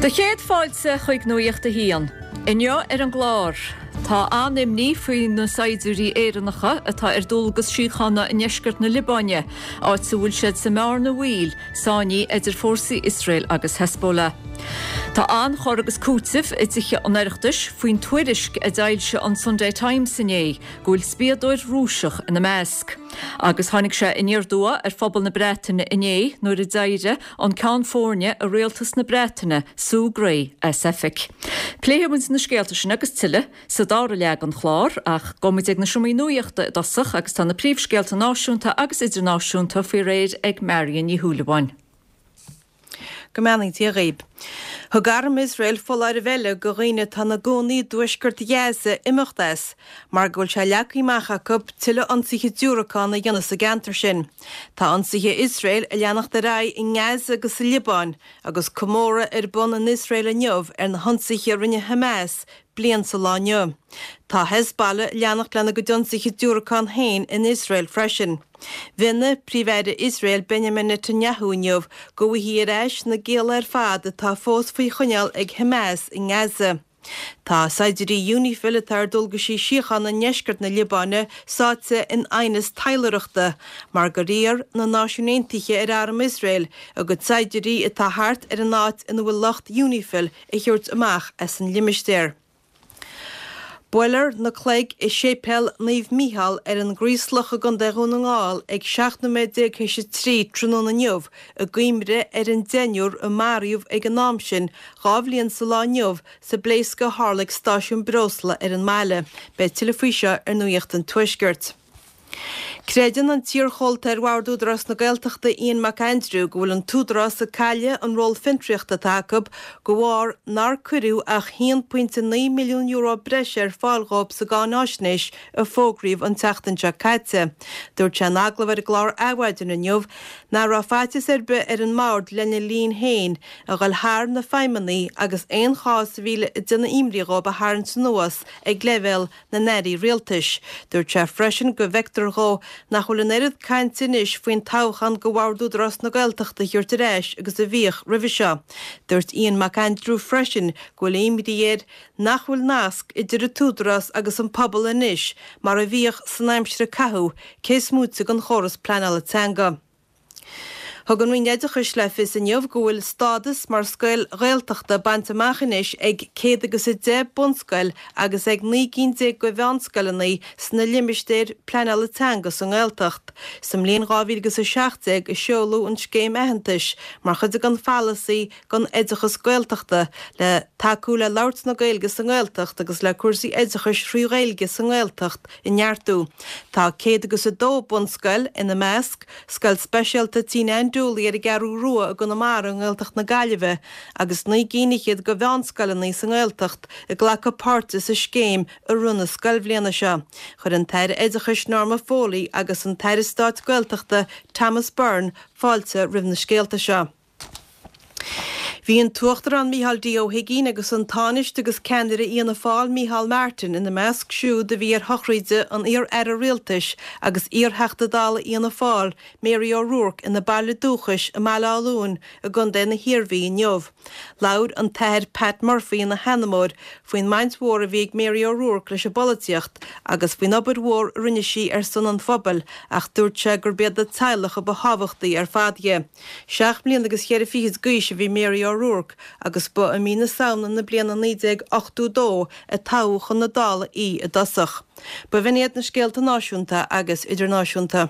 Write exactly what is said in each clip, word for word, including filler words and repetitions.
Do chéad fáilte chuig Nuacht a hAon. Inniu ar an gclár, Tá an-imní faoi na saighdiúirí Éireannacha atá ar dualgas síochána i ndeisceart na Liobáine, áit a bhfuil siad sa mbearna bhaoil sáinnithe idir fórsaí Iosrael agus Hezbollah. Tá an-chur agus cúiteamh i dTithe an Oireachtais faoin tuairisc a d'fhoilsigh an Sunday Times inné go bhfuil spiadóir Rúiseach ina measc. Agus tháinig sé aniar aduaidh ar phobal na Breataine inné nuair a d'éirigh an ceann foirne i rialtas na Breataine Sue Gray as oifig. Pléifidh muid na scéalta sin agus tuilleadh sa dara leath den chlár ach gabhfaidh muid ag na seomraí nuachta i dtosach agus tá na príomhscéalta náisiúnta agus idirnáisiúnta faoi réir ag Marion Ní Shúilleabháin. Go mbeannaí Dia dhaoibh. Thug arm Iosrael foláireamh eile do dhaoine atá ina gcónaí i dtuaisceart Ghaza imeacht as, mar go bhfuil sé leagtha amach acu tuilleadh ionsaithe diúracán a dhéanamh sa gceantar sin. Tá ionsaithe Iosrael ag leanacht ar aghaidh i nGaza agus sa Liobáin, agus comóradh ar bun in Iosrael inniu ar na hionsaithe a rinne Hamas bliain sa lá inniu. Tá Hezbollah ag leanacht lena gcuid ionsaithe diúracán féin in Iosrael freisin. Mhionnaigh Príomh-Aire Iosrael Benjamin Netanyahu inniu go bhfaighfí ar ais na gialla ar fad atá fós faoi choinneáil ag Hamas i nGaza. Tá saighdiúirí UNIFIL atá ar dualgaisí síochána i ndeisceart na Liobáine sáite in aighneas taidhleoireachta mar gur iarr na Náisiúin Aontaithe ar arm Iosrael a gcuid saighdiúirí atá thart ar an áit ina bhfuil lucht UNIFIL a thabhairt amach as an limistéar. Buailfear na cloig i Séipéal Naomh Mícheál ar an gCraoslach i gContae Dhún na nGall ag seacht nóiméad déag théis a trí tráthnóna inniu i gcuimhne ar an deichniúr a maraíodh ag an am sin dhá bhliain sa lá inniu sa bpléascadh a tharla ag stáisiún breosla ar an mbaile. Beidh tuilleadh faoi seo ar Nuacht an Tuaiscirt. Creideann an t-iarchomhalta ar Bhord Údarás na Gaeltachta Ian Mac Aindriú go bhfuil an t-údarás ag cailleadh an ról fiontraíochta atá acu de bharr nár cuireadh ach haon pointe naoi milliún euro breise ar fáil dhóibh sa gcáináisnéis a fógraíodh an tseachtain seo caite. Dúirt sé in agallamh ar an gclár Adhmhaidin inniu nach raibh faitíos ar bith ar an mbord lena linn féin a dhul thar na feidhmeanna agus aon chás a bhí ag déanamh imní dhóibh a tharraingt anuas ag leibhéal na n-airí rialtais. Dúirt sé freisin go bhfeictear dhó nach bhfuil an oiread cainte anois faoin toghchán do Bhord Údarás na Gaeltachta a thabhairt ar ais agus a bhíodh roimhe seo. Dúirt Ian Mac Aindriú freisin go bhfuil imní air nach bhfuil nasc idir an t-údarás agus an pobal anois mar a bhíodh san aimsir a caitheadh, cé is móite den chóras pleanála teanga. Thug an Roinn Oideachais le fios inniu go bhfuil stádas mar scoil Ghaeltachta bainte amach anois ag céad agus a deich bunscoil agus ag naoi gcinn déag de mheánscoileanna sna limistéir pleanála teanga sa nGaeltacht. Sa mbliain dhá mhíle agus a seacht déag a seoladh an scéim aitheantais mar chuid den pholasaí don oideachas Gaeltachta le tacú le labhairt na Gaeilge sa nGaeltacht agus le cúrsaí oideachais thrí Ghaeilge sa nGaeltacht a neartú. Tá céad agus a dó bunscoil ina measc, Scoil Speisialta Tina Ann Dooley ar an gCeathrú Rua i gConamara i nGaeltacht na Gaillimhe agus naoi gcinn fhichead de mheánscoileanna sa nGaeltacht ag glacadh páirte sa scéim i rith na scoilbhliana seo. Chuir an tAire Oideachais Norma Foley agus an tAire Stáit Gaeltachta Thomas Byrne fáilte roimh na scéalta seo. Bhí an tUachtarán Micheál D. Ó hUigínn agus an Tánaiste agus ceannaire Fhianna Fáil Micheál Martin ina measc siúd a bhí ar shochraide an iar-aire rialtais agus iar-Theachta Dála Fhianna Fáil Mary O'Rourke ina baile dúchais i mBaile Átha Luain i gContae na hIarmhí inniu. Labhair an tAthair Pat Murphy ina sheanmóir faoin mbaint mhór a bhí ag Mary O'Rourke leis an bpolaitíocht agus faoin obair mhór a rinne sí ar son an phobail ach dúirt sé gurb iad a teaghlach a ba thábhachtaí ar fad di. Seacht mbliana agus cheithre fichid d'aois a bhí Mary O'Rourke agus ba i mí na Samhna na bliana naoi déag ochtó dó a toghadh chun na Dála í i dtosach. Ba bh'in iad na scéalta náisiúnta agus idirnáisiúnta.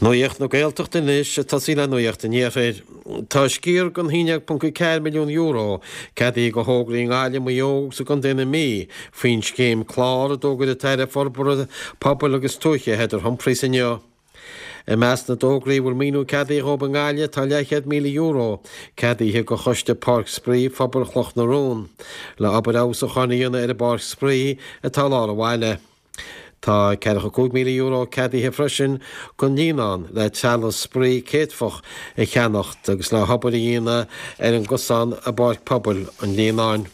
Nuacht na Gaeltachta anois, ag tosaí le Nuacht an Iarthair. Tá sciar den haon déag ponc ceathair milliún euro ceadaithe do thograí i nGaillimh, Maigh Eo agus i gContae na Mí faoin scéim Clár a d'fhógair an tAire Forbartha Pobail agus Tuaithe Heather Humphreys inniu. I measc na dtograí a bhfuil maoiniú ceadaithe dhóibh i nGaillimh tá leathchéad míle euro ceadaithe do Choiste Páirc Spraoi Phobal Chloch na Rón le obair fheabhsúcháin a dhéanamh ar an bpáirc spraoi atá i lár an bhaile. Tá ceathracha cúig míle euro ceadaithe freisin don Líonán le trealamh spraoi céadfach a cheannacht agus le hobair a dhéanamh ar an gcosán i bPáirc Pobail an Líonáin.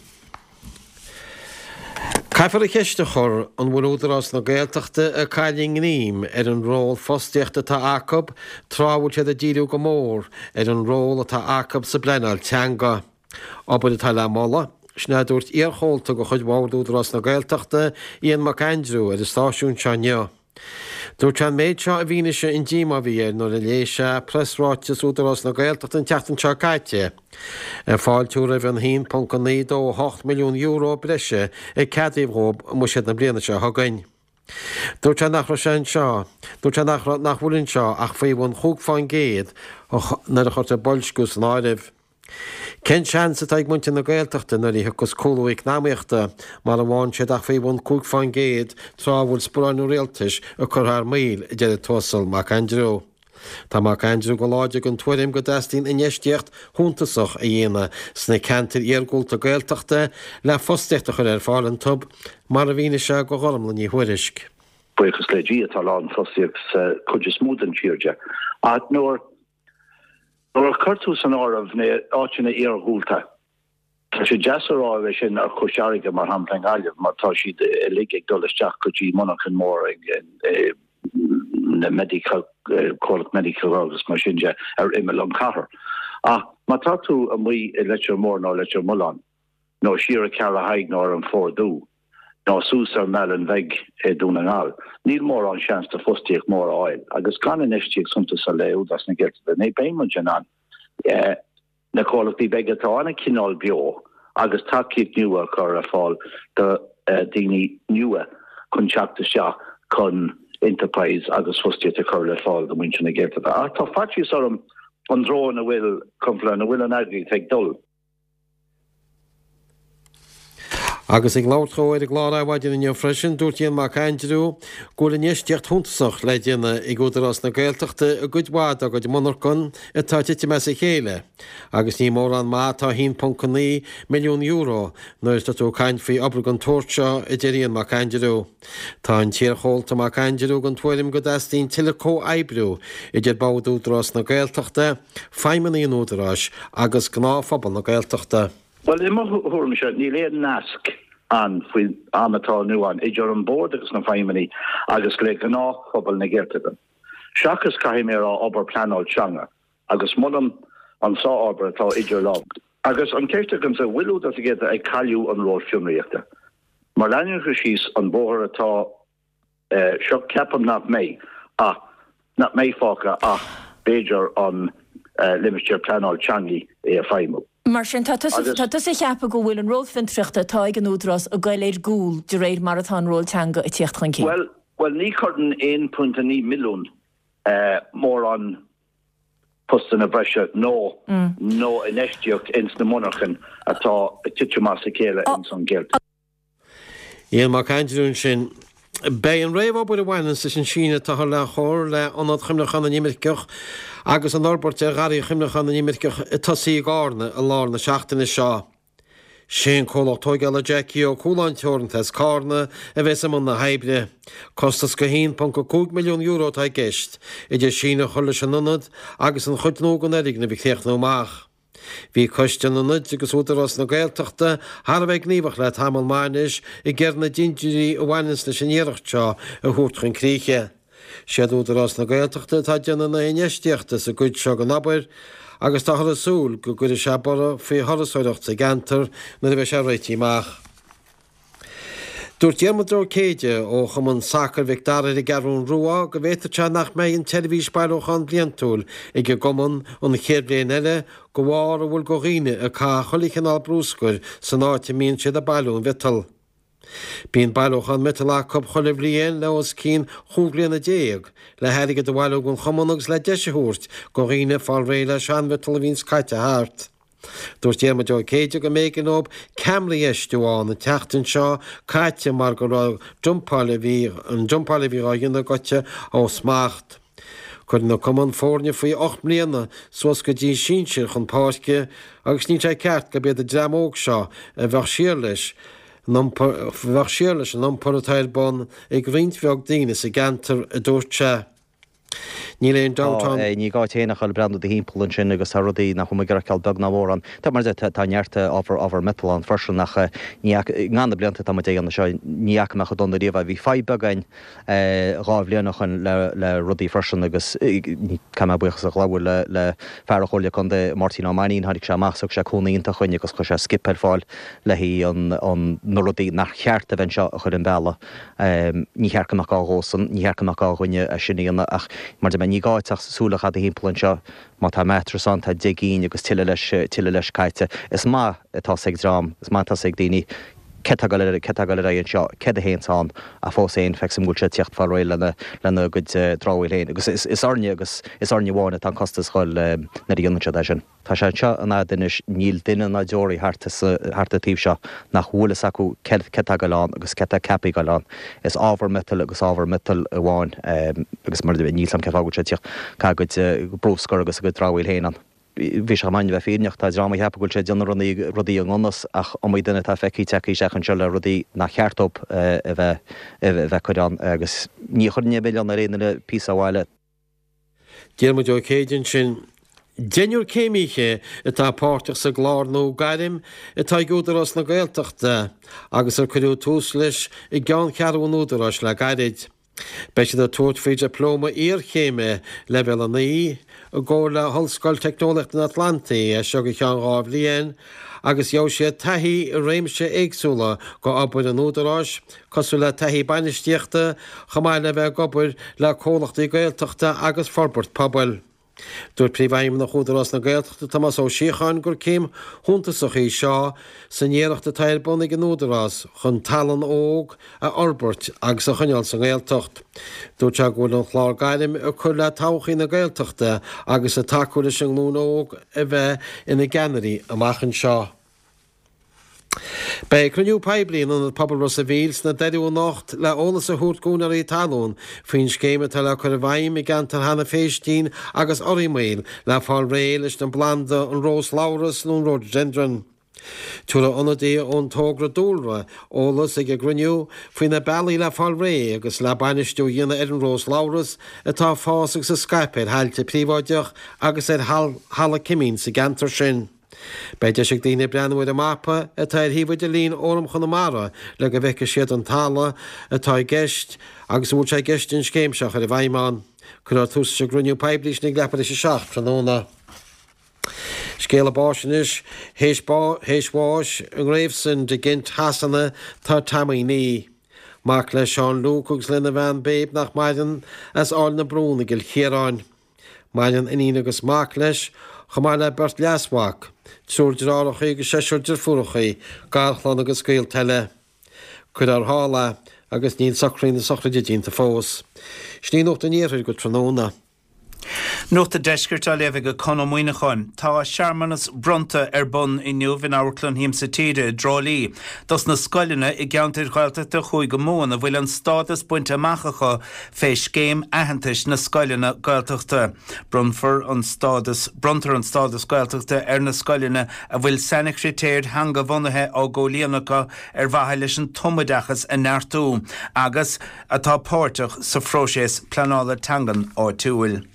Caithfear an cheist a chur an bhfuil Údarás na Gaeltachta ag cailleadh a ngreim ar an ról fostaíochta atá acu tráth a bhfuil siad ag díriú go mór ar an ról atá acu sa bpleanáil teanga. Obair atá le moladh, sin a dúirt iarchomhalta de chuid Bhord Údarás na Gaeltachta, Ian Mac Aindriú, ar an stáisiún seo inniu. Dúirt sé an méid seo i bhfianaise an díomá a bhí air nuair a léigh sé preasráiteas Údarás na Gaeltachta an tseachtain seo caite, ag fáiltiú roimh an a haon ponc naoi dó ocht milliún euro breise a ceadaíodh dhóibh i mbuiséad na bliana seo chugainn. Dúirt sé nach raibh sé anseo, dúirt sé nach raibh, nach bhfuil anseo ach faoi bhun chúig fán gcéad nuair a chuirtear boilsciú san áireamh. Cén seans atá ag muintir na Gaeltachta nuair a thiocfas cúlú eacnamaíochta mara bhfaigheann siad ach faoi bhun cúig fán gcéad tráth a bhfuil sparáin an rialtais ag cur thar maoil, a deir an tUasal Mac Aindriú. Tá Mac Aindriú go láidir den tuairim go dteastaíonn infheistíocht shuntasach a dhéanamh sna ceantair iargúlta Gaeltachta le fostaíocht a chur ar fáil iontu, mar a mhínigh sé do Ghormlaith Ní Thuairisg. Buíochas le Dia tá lán fostaíocht sa chuid is mó den tír de. Ach nuair Nuair a chuir tú san áireamh na áiteanna iarghúlta, tá sé deas a rá é sin ar Chois Fharraige, mar shampla i nGaillimh, mar tá siad uilig ag dul isteach go dtí monarchan mór ag na Medical, comhlacht Medical agus mar sin de ar imeall an chathair. Ach má tá tú amuigh i Leitir Móir nó Leitir Mealláin, nó siar i Ceathrú Thaidhg nó ar an Phort Dubh, nó suas ar an mBealach Bheag i Dún na nGall, níl mórán seans de fostaíocht mór a fháil. Agus gan infheistíocht suntasach le Údarás na Gaeltachta ní beidh muid in ann na comhlachtaí beaga atá ann a choinneáil beo agus tacaíocht nua a chur ar fáil do daoine nua chun teacht isteach chun enterprise agus fostaíocht a chur le fáil do mhuintir na Gaeltachta. Ach tá faitíos orm an treo ina bhfuil, ina bhfuil an eagraíocht ag dul. Agus ag labhairt dhó ar an gclár Adhmhaidin inniu freisin, dúirt Ian Mac Aindriú go bhfuil infheistíocht shuntasach le déanamh ag Údarás na Gaeltachta i gcuid mhaith dá gcuid monarchan atá ag titim as a chéile agus ní mórán maith atá a haon ponc naoi milliún euro nuair atá tú ag caint faoi obair den tsórt seo, a deir Ian Mac Aindriú. Tá an t-iarchomhalta Mac Aindriú den tuairim go dteastaíonn tuilleadh comhoibriú idir Bord Údarás na Gaeltachta, feidhmeannaigh an Údaráis agus gnáthphobal na Gaeltachta. Bhuel, i mo thuairimse, níl aon nasc ann faoin am atá inniu ann idir an Bord agus na feidhmeannaigh agus le gnáthphobal na Gaeltachta. Seachas, caithfidh mé a rá, obair pleanáil teanga, agus molaim an sár-obair atá idir lámha. Agus an cheist agamsa, bhfuil Údarás na Gaeltachta ag cailleadh an ról fionraíochta? Má leanann siad síos an bóthar atá seo, ceapaim nach mbeidh ach nach mbeidh fágtha ach b'fhéidir an limistéar pleanáil teangaí é a feidhmiú. Mar sin, tá tusa tá tusa ag ceapadh go bhfuil an ról fiontraíochta atá ag an Údarás ag goil ar gcúl de réir mar atá an ról teanga ag tíocht chun cinn? Bhuel, bhuel ní chuireann aon phointe naoi milliún mórán postanna breise nó nó infheistíocht ins na monarchain atá ag titim as a chéile ins an Ghaeltacht. Ian Mac Aindriú ansin. Beidh an réamhobair a bhaineanns leis an síneadh atáthar le chur le Ionad Chuimhneacháin na nImirceach agus an fhorbairt ar Gharraí Chuimhneacháin na nImirceach ag tosaí i gCárna i lár na seachtaine seo. Sé an comhlacht tóigeála Jackie Ó Cualáin Teoranta as Cárna a bheas i mbun na hoibre. Costas de haon ponc a cúig milliún euro atá i gceist, idir síneadh a chur leis an ionad agus an chuid nua den fhoirgneamh a chríochnú amach. Bhí Coiste an Ionaid agus Údarás na Gaeltachta thar a bheith gníomhach le tamall maith anois ag iarraidh na dintiúirí a bhaineanns leis an iarracht seo a thabhairt chun críche. Siad Údarás na Gaeltachta atá ag déanamh na hinfheistíochta sa gcuid seo den obair agus táthar ag súil go gcuirfidh sé borradh faoi thurasóireacht sa gceantar nuair a bheidh sé réitithe amach. Dúirt Diarmuid Ó Céide ó Chumann Sacair Mhic Dara ar an gCeathrú Rua go bhféadfadh sé nach mbeidh an tseirbhís bailiúcháin bliantúil ag an gcumann an chéad bhliain eile de bharr a bhfuil de dhaoine ag caitheamh chuile chineál brúscair san áit a mbíonn siad ag bailiú an mhiotail. Bíonn bailiúchán miotail acu chuile bhliain le os cionn chúig bliana déag le hairgead a bhailiú don chumann agus le deis a thabhairt do dhaoine fáil réidh le seanmhiotal a bhíonns caite thart. Dúirt Diarmuid Ó Céide go mb'éigean dóibh ceamaraí a fheistiú ann an tseachtain seo caite mar go raibh dumpáil a bhí an dumpáil a bhí á dhéanamh gaibhte ó smacht. Cuireann an cumann foirne faoi ocht mbliana suas go dtí sinsir chun páirce agus níl sé ceart gurb iad an dream óg seo a bheadh siar leis an iompar a bheadh siar leis an iompar atá ar bun ag roinnt bheag daoine sa gceantar, a dúirt sé. Níl aon dabht ann. Ní gá duit féin ach a bhreathnú do thimpeall ansin agus tá rudaí nach bhfuil muid ag feiceáil beag ná mór ann. Tá mar tá neart ábhar ábhar miotail ann freisin ach ní i na blianta atá muid ag déanamh seo ní fhaca mé chomh dona riamh é. Bhí fadhb beag againn dhá bhliain ó shin le le rudaí freisin agus caithfidh mé buíochas a ghabháil le le fear an Chomhairle Contae Máirtín Ó Mainnín tháinig sé amach thug sé cúnamh iontach chugainn agus chuir sé skip ar fáil le haghaidh an an na rudaí nach cheart a bheith anseo a chur an bealach. Ní cheart go mbeadh gá dhósan, ní cheart go mbeadh gá dhuine é sin a dhéanamh ach mar de ní gá ach súil a chaitheamh timpeall anseo má tá mattress ann tá deich gcinn agus tuilleadh leis tuilleadh leis caite. Is maith atá ag dream, is maith atá ag daoine cé atá cé atá ar aghaidh anseo, céard a théanns ann ach fós féin feicim go bhfuil sé teacht fáil réidh lena lena gcuid dramhaíl féin agus is is orainne agus is orainne amháin atá an costas dhul nuair a dhéanann siad é sin. Tá sé anseo an fhad anois níl duine ná deoraí thart thart an taobh seo nach bhfuil fhios acu cé cé atá ag dul ann agus cé atá ceaptha ag dul ann. Is ábhar miotail agus ábhar miotail amháin agus mar níl sam cé fáth go bhfuil sé teacht ca gcuid bruscar agus a gcuid dramhaíl féin ann. Bhí sé main bheith fírinneach tá dream ag ceapadh go bhfuil sé ag déanamh rudaí rudaí i ngan fhios ach iomaí duine atá feicthe tagtha isteach anseo le rudaí nach cheart dóibh a bheith a bheith curtha ann agus ní chuireann aon mhilleán ar aon duine píosa abhaile. Diarmuid Ó Céide ansin. Deichniúr céimithe atá páirteach sa gclár nua Gairm atá ag Údarás na Gaeltachta agus ar cuireadh tús leis i gceanncheathrú an Údaráis le gairid. Beidh siad ag tabhairt faoi dioplóma iarchéime leibhéal a naoi i gcomhar le hOllscoil Teicneolaíochta an Atlantaigh as seo go ceann dhá bhliain agus gheobhaidh siad taithí i réimse éagsúla go obair an Údaráis, cosúil le taithí bainistíochta, chomh maith le bheith ag obair le comhlachtaí Gaeltachta agus forbairt pobail. Dúirt Príomhfheidhmeannach Údarás na Gaeltachta Tomás Ó Síocháin gur céim shuntasach í seo san iarracht atá ar bun ag an Údarás chun tallann óg a fhorbairt agus a choinneáil sa nGaeltacht. Dúirt sé go bhfuil an chlár gairm ag cur le todhchaí na Gaeltachta agus ag tacú leis an nglúin óg a bheith ina gceannairí amach anseo. Beidh cruinniú poiblí in Ionad Pobail Ros a' Mhíl sna Doirí anocht le eolas a thabhairt d'úinéirí talún faoin scéim atá le cur i bhfeidhm i gceantar Hannah Phéistín agus Fhormaoil le fáil réidh leis an bplanda an rós labhras nó an rhododendron. Tabharfaidh ionadaí ón togra dúlra eolas ag an gcruinniú faoi na bealaí le fáil réidh agus le bainistiú a dhéanamh ar an rós labhras atá ag fás agus ag scaipeadh ar thailte príobháideach agus ar thalamh cimín sa gceantar sin. Beidh deis ag daoine breathnú ar an mapa atá ar shuíomh idirlín Fhóram Chonamara le go bhfeicfidh siad an talamh atá i gceist agus a bhfuil sé i gceist an scéim seo a chur i bhfeidhm ann. Cuirfear tús leis an gcruinniú poiblí sin ag leathuair tar éis a seacht tráthnóna. Scéala báis anois, théis théis bháis i nGravesend i gCent Shasana tá Tommy Nee. Mac le Seán Luke agus lena bhean Babe nach maireann as Áill na Brún i gCill Chiaráin. Maireann iníon agus mac leis, chomh maith le beirt leasmhac, triúr deartháireacha agus seisear deirfiúracha, garchlann agus gaolta eile. Cuirfear thall é agus níl socruithe na sochraide déanta fós. Sin í Nuacht an Iarthair go tráthnóna. Nuacht an Deiscirt á léamh ag Conn Ó Muíneacháin. Tá searmanas bronnta ar bun inniu in Amharclann Shiamsa Tíre i dTrá Lí dos na scoileanna i gceantair Ghaeltachta Chúige Mumhan a bhfuil an stádas bainte amach acu fé scéim aitheantais na scoileanna Gaeltachta. Bronnfar an stádas bronntar an stádas Gaeltachta ar na scoileanna a bhfuil sainchritéir theanga-bhunaithe á gcomhlíonadh acu ar mhaithe leis an tumoideachas a neartú agus atá páirteach sa phróiseas pleanála teangan áitiúil.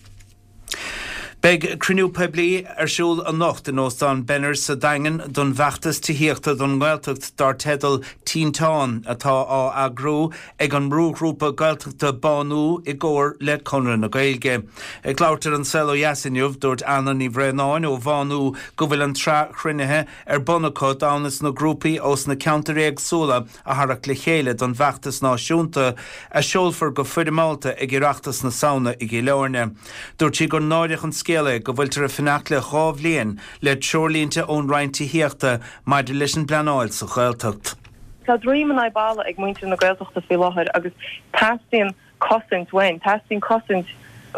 Beidh cruinniú poiblí ar siúl anocht in Óstán Benners sa Daingean don bhfeachtas tithíochta don nGaeltacht dar teideal Tinteán atá á eagrú ag an mbrúghrúpa Gaeltachta Bánú i gcomhar le Conradh na Gaeilge. Ag labhairt ar An Saol Ó Dheas inniu, dúirt Anna Ní Bhraonáin ó Bhánú go bhfuil an tsraith chruinnithe ar bun acu d'fhonn is na grúpaí ós na ceantair éagsúla a tharrac le chéile don bhfeachtas náisiúnta a seolfar go foirmeálta ag Oireachtas na Samhna i gCill Airne. Dúirt sí gur náireach an scéal é go bhfuiltear ag fanacht le dhá bhliain le treoirlínte ón Roinn Tithíochta maidir leis an bpleanáil sa Ghaeltacht. Tá droim in aghaidh balla ag muintir na Gaeltachta faoi láthair agus teastaíonn cosaint uainn, teastaíonn cosaint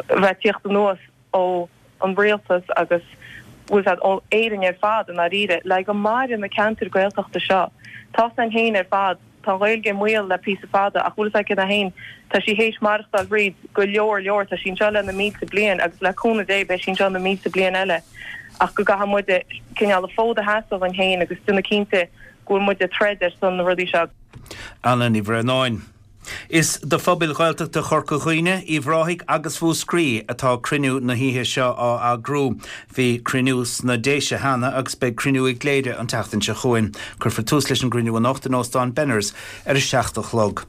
bheith tíocht anuas ó an rialtas agus bhfuil siad ó Éirinn ar fad i ndáiríre, le go maire na ceantair Gaeltachta seo. Tá san féin ar fad, tá an Ghaeilge i mbaol le píosa fada ach bhfuil fhios agat céard é féin, tá sí théis maireachtáil thríd go leor leor, tá sí anseo le na mílte bliain agus le cúnamh Dé beidh sí anseo na mílte bliain eile ach go gcaithfidh muide cineál an fód a sheasamh againn féin agus déanamh cinnte go bhfuil muid ag troid ar son na rudaí seo. Anna Ní Bhraonáin. Is do phobail Ghaeltachta Chorca Dhuibhne, Uíbh Ráthaigh agus Mhúscraí atá cruinniú na hoíche seo á eagrú. Bhí cruinniú sna Déise cheana agus beidh cruinniú i gCléire an tseachtain seo chugainn. Cuirfear tús leis an gcruinniú anocht in Óstán Benners ar a seacht a chlog.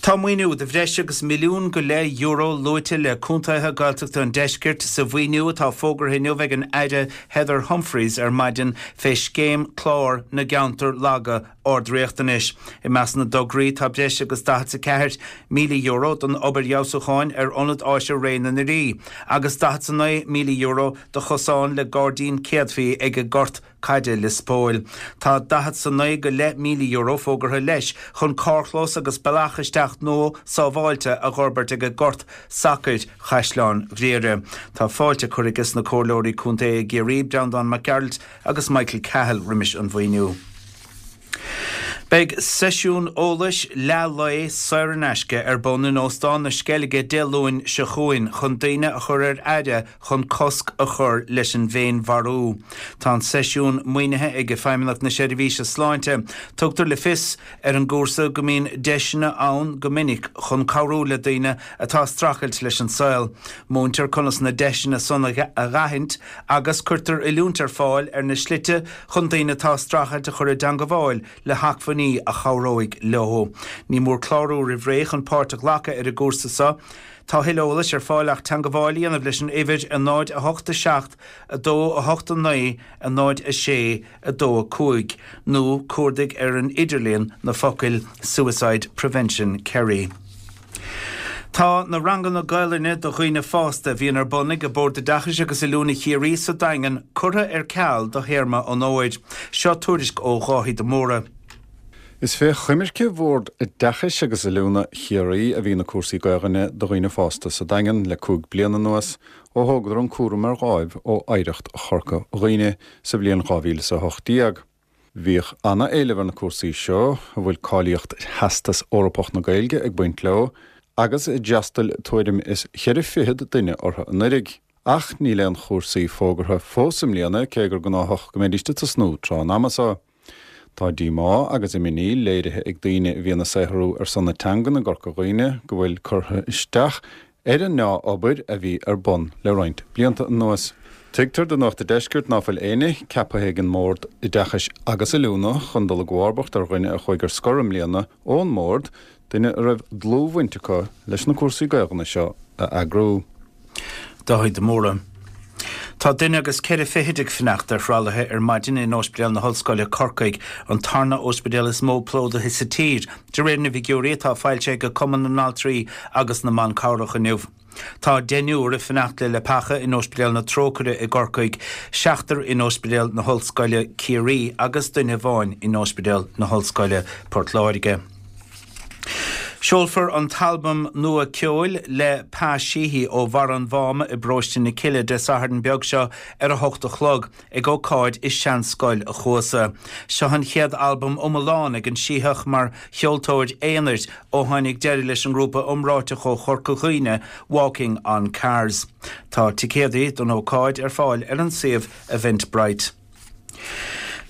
Tá maoiniú de bhreis agus milliún go leith euro luaite le contaetha Gaeltachta an deiscirt sa mhaoiniú atá fógartha inniu ag an Aire Heather Humphreys ar maidin fé scéim clár na gceantar laga ardriachtanais. I measc na dtograí tá breis agus daichead a ceathair míle euro don obair fheabhsúcháin ar ionad áise Ré na nDoirí agus daichead a naoi míle euro do chosán le gairdín céadfaí ag an gort caide Lios Póil. Tá daichead a naoi go leith míle euro fógartha leis chun carrchlós agus bealach isteach nua sábháilte a fhorbairt ag an gort sacair Chaisleán Ghriaire. Tá fáilte curtha aige na comhairleoirí contae i gCiarraí, Breandán Mac Gearailt agus Michael Cahill roimis an mhaoiniú. Beidh seisiún eolais leath lae saor in aisce ar bun in Óstán na Sceilge Dé Luain seo chugainn chun daoine a chur ar aire chun cosc a chur leis an bhféinmharú. Tá an seisiún maoinithe ag Feidhmeannacht na Seirbhíse Sláinte. Tugtar le fios ar an gcúrsa go mbíonn deiseanna ann go minic chun cabhrú le daoine atá ag streachailt leis an saol. Múintear conas na deiseanna san a aithint agus cuirtear oiliúint ar fáil ar na slite chun daoine atá ag streachailt a chur i dteagmháil le hacmhainní a chabhróidh leo. Ní mór clárú roimh ré chun páirt a ghlacadh ar an gcúrsa seo. Tá tuilleadh eolais ar fáil ach teagmháil a dhéanamh leis an uimhir a náid a hocht a seacht a dó a hocht a naoi a náid a sé a dó a cúig nó cuardaigh ar an idirlíon na focail Suicide Prevention Kerry. Tá na ranganna Gaelainne do dhaoine fásta a bhíonn ar bun ag Bord Oideachais agus Oiliúna Chiarraí sa Daingean curtha ar ceal do théarma an fhómhair. Seo tuairisc ó Dháithí de Mórdha. Is fé choimirce Bhord Oideachais agus Oiliúna Chiarraí a bhí na cúrsaí Gaelainne do dhaoine fásta sa Daingean le cúig bliana anuas ó thógadar an cúram ar láimh ó Oidhreacht Chorca Dhuibhne sa bhliain dhá mhíle is a hocht déag. Bhíodh an-éileamh ar na cúrsaí seo a bhfuil cáilíocht Theastas Eorpach na Gaeilge ag baint leo agus d'fhreastail tuairim is ceithre fichead duine orthu anuraidh. Ach níl aon chúrsaí fógartha fós i mbliana cé gur gnáthach go mbeidís ag tosnú tráth an ama seo. Tá díomá agus imní léirithe ag daoine a bhíonn ag saothrú ar son na teangan i gCorca Dhuibhne go bhfuil curtha isteach ar an ndea-obair a bhí ar bun le roinnt blianta anuas. Tuigtear do Nuacht an Deiscirt ná fuil éinne ceaptha ag an mBord Oideachais agus Oiliúna chun dul i gcomharbacht ar dhuine a chuaigh ar scor i mbliana ón mbord, duine a raibh dlúthbhaint acu leis na cúrsaí Gaelainne seo a eagrú. Dáithí de Mórdha. Tá duine agus ceithre fichid ag fanacht ar thralaithe ar maidin in Ospidéal na hOllscoile Corcaigh, an tarna ospidéal is mó plódaithe sa tír, de réir na bhfigiúirí atá foilsithe ag Cumann na nAltraí agus na mBan Cabhrach inniu. Tá deichniúr ag fanacht le leapacha in Ospidéal na Trócaire i gCorcaigh, seachtar in Ospidéal na hOllscoile Ciarraí agus duine amháin in Ospidéal na hOllscoile Port Láirge. Seolfar an t-albam nua ceoil le Pa Sheehy ó Bharra an Mháma i bParóiste na Cille Dé Sathairn beag seo ar a hocht a chlog ag ócáid i Seanscoil a Chuasa. Seo an chéad albam iomlán ag an Sítheach mar cheoltóir aonair ó tháinig deireadh leis an ngrúpa iomráiteach ó Chorca Dhuibhne, Walking on Cars. Tá ticéadaí don ócáid ar fáil ar an suíomh Eventbrite.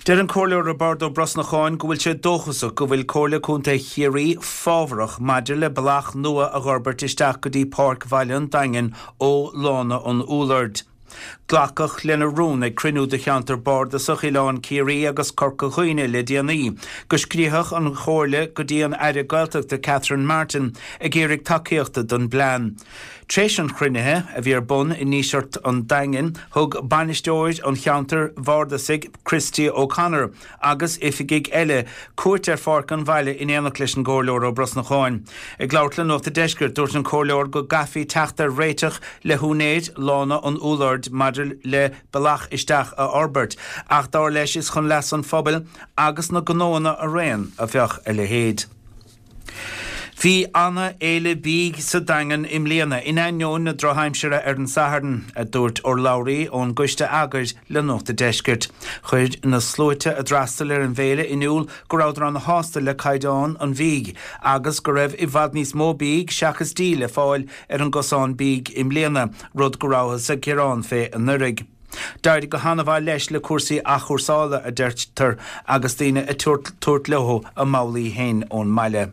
Deir an Comhairleoir Roibeárd Ó Brosnacháin go bhfuil sé dóchasach go bhfuil Comhairle Contae Chiarraí fábharach maidir le bealach nua a fhorbairt isteach go dtí Páirc Bhaile an Daingin ó Lána an Úlloird. Glacadh lena rún ag cruinniú de cheantar Bardasach Oileán Ciarraí agus Corca Dhuibhne le déanaí, go scríobhadh an Chomhairle go dtí an Aire Gaeltachta Catherine Martin ag iarraidh tacaíochta don bplean. Tréis an chruinnithe, a bhí ar bun i nDíseart an Daingin, thug bainisteoir an cheantair bhardasaigh Christy O'Connor agus oifigigh eile cuairt ar Pháirc an Bhaile in éineacht leis an gComhairleoir Ó Brosnacháin. Ag labhairt le Nuacht an Deiscirt, dúirt an Comhairleoir go gcaithfí teacht ar réiteach le húinéir Lána an Úlloird maidir le bealach isteach a fhorbairt, ach dar leis is chun leas an phobail agus na gnóanna araon a bheadh a leithéid. Bhí ana-fhéile bídh sa Daingean i mbliana, in ainneoin na drochaimsire ar an Satharn, a dúirt urlabhraí ón gcoiste eagair le Nuacht an Deiscirt. Chuir na sluaite a d'fhreastail ar an bhféile in iúl go rabhadar ana-shásta le caighdeán an bhídh agus go raibh i bhfad níos mó bídh seachas dí le fáil ar an gcosán bídh i mbliana, rud go rabhthas ag gearán fé anuraidh. D'éirigh go han-mhaith leis le cúrsaí athchúrsála, a deirtear, agus daoine ag tabhairt leo a mbabhlaí féin ón mbaile.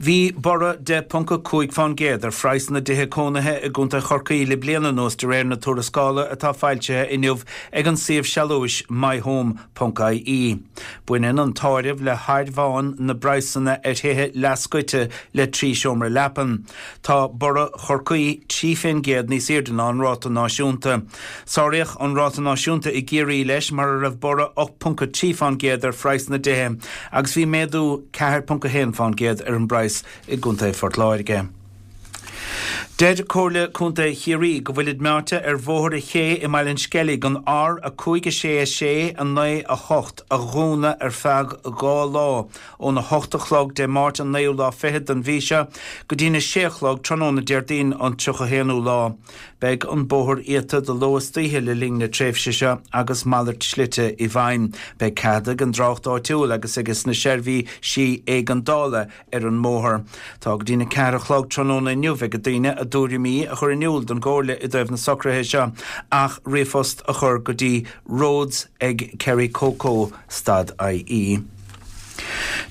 Bhí borradh deich ponc a cúig fán gcéad ar phraghas na dtithe cónaithe i gContae Chorcaí le bliain anuas de réir na tuarascála atá foilsithe inniu ag an suíomh sealúis myhome ponc ie. Baineann an t-áireamh le hairmheán na bpraghsanna ar thithe leathscoite le trí seomra leapan. Tá borradh Chorcaí trí fén gcéad níos airde ná an ráta náisiúnta. Sáraíodh an ráta náisiúnta i gCiarraí leis mar a raibh borradh ocht ponc a trí fán gcéad ar phraghas na dtithe agus bhí méadú ceathair ponc a haon fán gcéad ar an bpraghas i gContae Phort Láirge. Deir Comhairle Contae Chiarraí go bhfuilid meáite ar Bhóthar an Ché i mBaile an Sceilg an R a cúig a sé a sé a naoi a hocht a dhúnadh ar feadh dhá lá óna hocht a chlog Dé Máirt an naoú lá fichead den mhí seo go dtína sé a chlog tráthnóna Déardaoin an tríocha haonú lá. Beidh an bóthar iata de ló is d'oíche le linn na tréimhse seo agus malairt slite i bhfeidhm. Beidh cead ag an dtrácht áitiúil agus ages na seirbhísí éigeandála ar an mbóthar. Tá go dtína ceathair a chlog tráthnóna inniu ag daoine a dtuairimí a chur in iúl don gComhairle i dtaobh na socruithe seo ach ríomhphost a chur go dtí roads ag kerrycoco stad ie.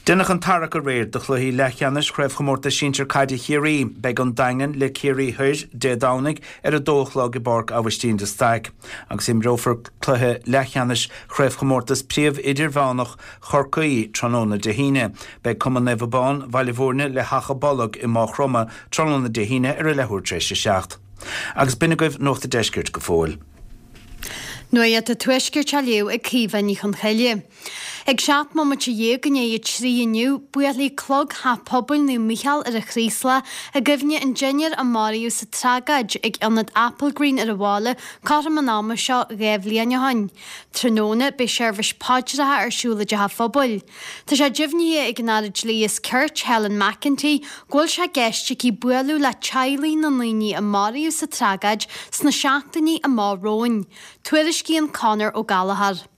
Deineadh an tarrac aréir do chluichí leathcheannais Chraobhchomórtas Sinsir Caide Chiarraí. Beidh an Daingean le Ciarraí Thoir Dé Domhnaigh ar a dó a chlog i bPáirc Aibhistín de Staic agus imreofar cluiche leathcheannais Chraobhchomórtas Príomh-Idirmheánach Chorcaí tráthnóna Dé hAoine. Beidh Cumann Naomh Abán, Bhaile Bhúirne le hAchadh Bolg i Maigh Chromtha tráthnóna Dé hAoine ar a leathuair tar éis a seacht. Agus b'in agaibh Nuacht an Deiscirt go fóill. Nuacht an Tuaiscirt á léamh ag Caoimhe Ní Chonchoille. Ag seacht mbomaite dhéag i ndiaidh a trí inniu, buailfidh clog Theach Pobail Naomh Mícheál ar an Chraoslach i gcuimhne an deichniúr a maraíodh sa tragóid ag ionad Applegreen ar an bhaile cothrom an ama seo dhá bhliain ó shin. Tráthnóna, beidh seirbhís paidreacha ar siúl i dTeach an Phobail. Tá sé deimhnithe ag an Aire Dlí is Cirt, Helen McEntee, go bhfuil sé i gceist aici bualadh le teaghlaigh na ndaoine a maraíodh sa tragóid sna seachtainí amach romhainn. Tuairiscíonn Conor Ó Gallchóir.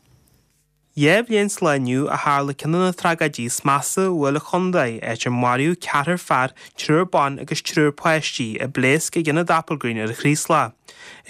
Dhá bhliain sa lá inniu a tharla ceann de na tragóidí is measa a bhuail an chontae, áit ar maraíodh ceathrar fear, triúr ban agus triúr páistí i bpléasc ag ionad Applegreen ar an Chraoslach.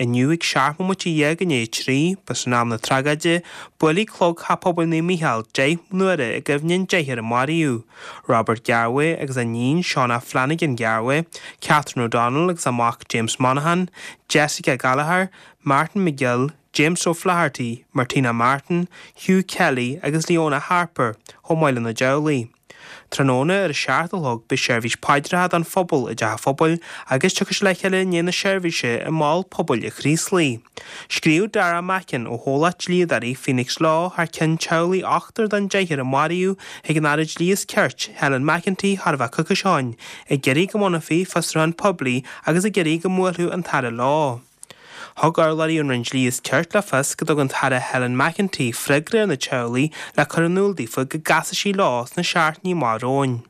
Inniu ag seacht mbomaite dhéag i ndiaidh a trí, b'shin am na tragóide, buailfidh clog Theach Pobail Naomh Mícheál deich n-uaire i gcuimhne an deichniúr a maraíodh, Robert Garwe agus a iníon Shauna Flanagan Garwe, Catherine O'Donnell agus a mac James Monaghan, Jessica Gallagher, Martin McGill, James O'Flaherty, Martina Martin, Hugh Kelly agus Leona Harper, chomh maith lena dteaghlaigh. Tráthnóna ar a seacht a chlog beidh seirbhís paidreacha don phobal i dTeach an Phobail agus tiocfaidh siad le chéile i ndiaidh na seirbhíse i Mol Pobail an Chraoslaigh. Scríobh Dara Mackin ó chomhlacht dlíodóirí Phoenix Law thar ceann teaghlaigh ochtar den deichniúr a maraíodh chuig an Aire Dlí is Cirt, Helen McEntee, chóir a bheith coicís ó shin, ag iarraidh go mbunófaí fiosrúchán poiblí agus ag iarraidh go mbuailfeadh an tAire leo. Thug urlabhraí ón Roinn Dlí is Cirt le fios go dtug an tAire Helen McEntee freagra ar na teaghlaigh le cur in iúl daofa go gcasfaidh sí leo sna seachtainí amach romhainn.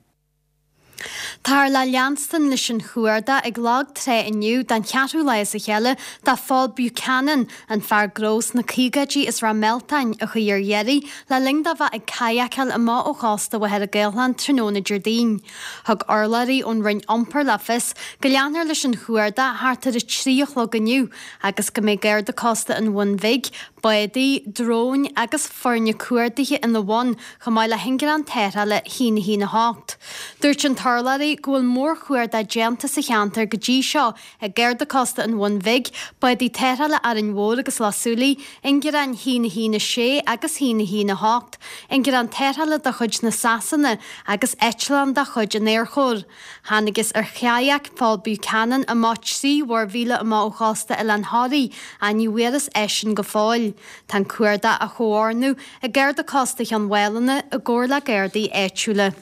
Táthar le leanstan leis an chuardach ag Lag Trá inniu don cheathrú lá as a chéile do Phól Buchanan, an fear gnó sna caogaidí as Ráth Mealtain a chuaigh ar iarraidh le linn dó bheith ag cadhacáil amach ó chósta Mhachaire Gathlán tráthnóna Déardaoin. Thug urlabhraí ón Roinn Iompair le fios go leanfar leis an chuardach thart ar a trí a chlog inniu agus go mbeidh Garda Cósta an Bhun Bhig, bádaí, dróin agus foirne cuardaithe ina bhun chomh maith le hingearán tarrthála a haon a haon a hocht. Dúirt an t-urlabhraí go bhfuil mórchuardach déanta sa cheantar go dtí seo ag Garda Cósta an Bhun Bhig, bádaí tarrthála Árainn Mhór agus Loch Súilí, ingearáin a haon a haon a sé agus a haon a haon a hocht, ingearán tarrthála de chuid na Sasana agus eitleán de chuid an Aerchóir. Thángthas ar chadhc Phól Buchanan amach trí mhuirmhíle amach ó chósta Oileán Thoraí ach ní bhfuarthas eisean go fóill. Tá an cuardach á chomhordú ag Garda Cósta Chionn Mhálanna i gcomhar le Gardaí áitiúla.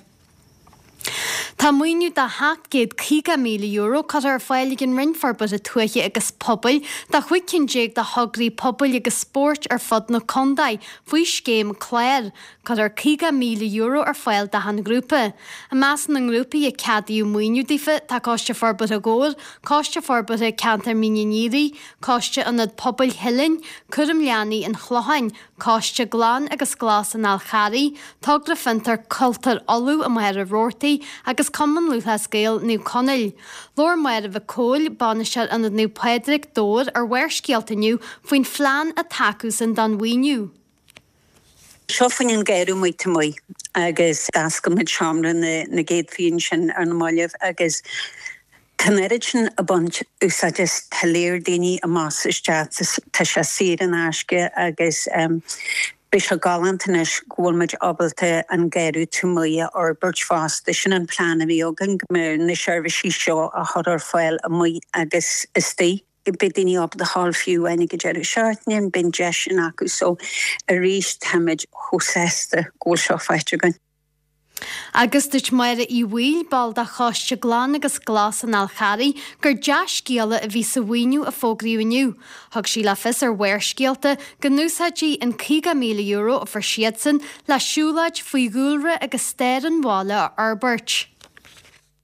Tá maoiniú de sheacht gcéad caoga míle euro curtha ar fáil ag an Roinn Forbartha Tuaithe agus Pobail do chúig cinn déag de thograí pobail agus spóirt ar fud na contae faoi scéim clár. Cuirfear caoga míle euro ar fáil d'achan ghrúpa. I measc na ngrúpaí a ceadaíodh maoiniú daofa tá Coiste Forbartha Dhobhair, Coiste Forbartha Ceantar Mín an Fhíoraigh, Coiste Ionad Pobail Theilinn, Cúram Leanaí an Chlocháin, Coiste Glan agus Glas an Fháil Charraigh, Togra Fiontar Cultúir Uladh i Machaire Rabhartaigh agus Cumann Lúthchleas Gael Naomh Conaill. Labhair Máire Mhic Cóil, Bainisteoir Ionad Naomh Pádraig, Dobhar, ar Bharrscéalta inniu faoin phlean atá acusan don mhaoiniú. Seo fá choinne an garraí amuigh taobh amuigh agus d'oscail muid seomra na na gcéadfaí ansin ar na mallaibh agus tá an oiread sin ag baint úsáid as, tá léir daoine amach is isteach, tá sé saor in aisce agus beidh sé galánta anois go bhfuil muid ábalta an garraí taobh amuigh a fhorbairt fosta. Sin an plean a bhí againn, go mbeadh na seirbhísí seo á chur ar fáil amuigh agus istigh. Beidh daoine ábalta a ghabháil fiú amháin ag an deireadh seachtaine, beidh an deis sin acu so arís táimid chomh sásta go bhfuil seo faighte againn. Agus dúirt Máire Uí Bhaoill, ball de Choiste Glan agus Glas an Fhál Charraigh, gur dea-scéala a bhí sa mhaoiniú a fógraíodh inniu. Thug sí le fios ar Bharrscéalta go n-úsáidfidh an caoga míle euro a fuair siadsan le siúlóid faoi dhúlra agus stair an bhaile a fhorbairt.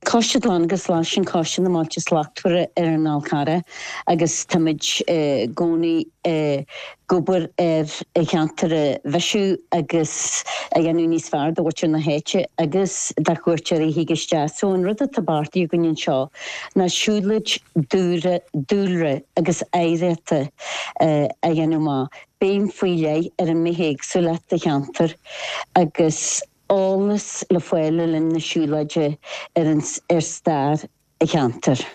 Coiste Glan agus Glas, sin Coiste na mBailte Slachtmhara ar an Fhál Carrach agus táimid i gcónaí ag obair ar an cheantar a mhaisiú agus a dhéanamh níos fearr do mhuintir na háite agus do chuairteoirí a thig isteach. So an rud atá beartaithe againn anseo ná siúlóid dúlra, dúlra agus oidhreachta a dhéanamh amach, béim faoi leith ar an mbithéagsúlacht sa cheantar agus eolas le fáil le linn na siúlóide ar an ar stair an cheantair.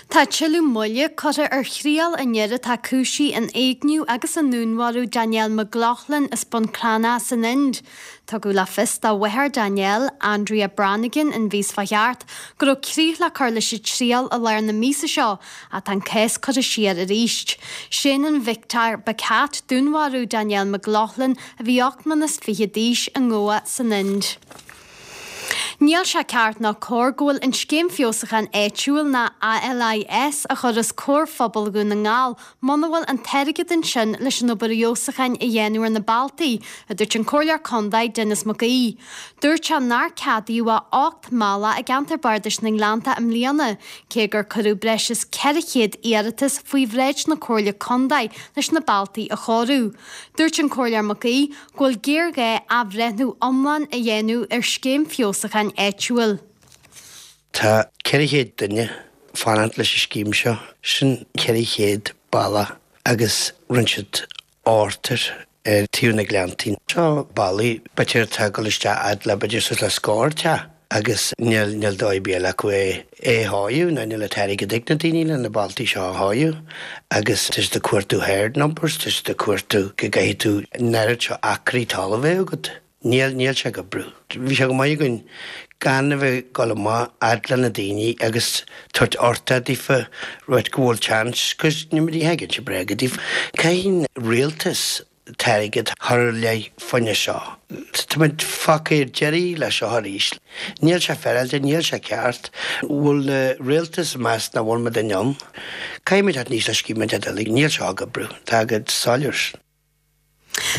Tá tuilleadh moille curtha ar thriail an fhir atá cúisithe in éigniú agus i ndúnmharú Danielle McLaughlin as Bun Cranncha san Ind. Tugadh le fios do mháthair Danielle, Andrea Brannigan an mhí seo thart go raibh críoch le cur leis an triail i lár na míosa seo ach tá an cás curtha siar arís. Séanann Victor Bacat dúnmharú Danielle McLaughlin a bhí ocht mbliana is fiche d'aois i nGoa san Ind. Níl sé ceart ná cóir go bhfuil an Scéim Feabhsúcháin Áitiúil ná ALIS a chur os comhair phobal Dhún na nGall muna bhfuil an t-airgead ansin leis an obair fheabhsúcháin a dhéanamh ar na bealtaí, a dúirt an Comhairleoir Contae Denis Mac Aoidh. Dúirt sé nár ceadaíodh ach ocht mbealach i gceantar Bardais na nGleannta i mbliana, cé gur cuireadh breis is ceithre chéad iarratas faoi bhráid na Comhairle Contae leis na bealtaí a chóiriú. Dúirt an Comhairleoir Mac Aoidh go bhfuil géarghá athbhreithniú iomlán a dhéanamh ar Scéim Feabhsúcháin Áitiúil. Tá ceithre chéad duine fanacht leis an scéim seo, sin ceithre chéad bealach agus rinne siad ochtar ar taobh na Gleanntaí. Seo bealaí b'fhéidir atá ag dul isteach fhad le b'fhéidir suas le scór teach agus níl níl dóigh ar bith eile acu é é a chóiriú nó níl an t-airgead ag na daoine le na bealtaí seo a chóiriú agus tá siad ag cuartú herd numbers, tá siad ag cuartú go gcaithfidh tú an oiread seo acraí talaimh a bheith agat. Níl, níl sé ag oibriú. Bhí sé go maith againn gan a bheith ag dul amach fhad le na daoine agus tabhairt orthu daofa rud go bhfuil chance, 'cause ní ní thagann sé bréaga daofa. Caithfidh an rialtas an t-airgead a chur ar leith fá choinne seo. Táimid fágtha ar deireadh leis seo arís. Níl sé féaráilte, níl sé ceart. Bhfuil na rialtas ag meas nach bhfuil muid in ann? Caithfimid teacht aníos le scéim eile, níl seo ag oibriú. Tá go soiléir.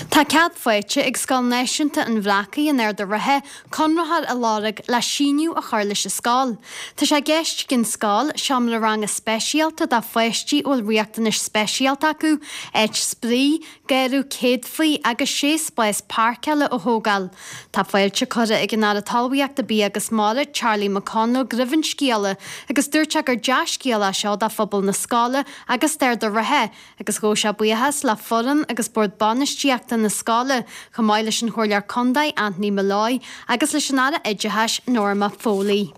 Tá cead faighte ag Scoil Náisiúnta an Bhreacaigh in Ard an Rátha conraitheoir a lorg le síneadh a chur leis an scoil. Tá sé i gceist ag an scoil seomra ranga speisialta do pháistí a bhfuil riachtanais speisialta acu, áit spraoi, garraí céadfaí agus sé spás páirceála a thógáil. Tá fáilte curtha ag an Aire Talmhaíochta Bia agus Mara, Charlie McConalogue roimh an scéala agus dúirt sé gur dea-scéal é seo do phobal na scoile agus d'Ard an Rátha agus ghabh sé buíochas le foireann agus bord bainistíochta na scoile, chomh maith leis an Chomhairleoir Contae Anthony Molloy agus leis an Aire Oideachais Norma Foley.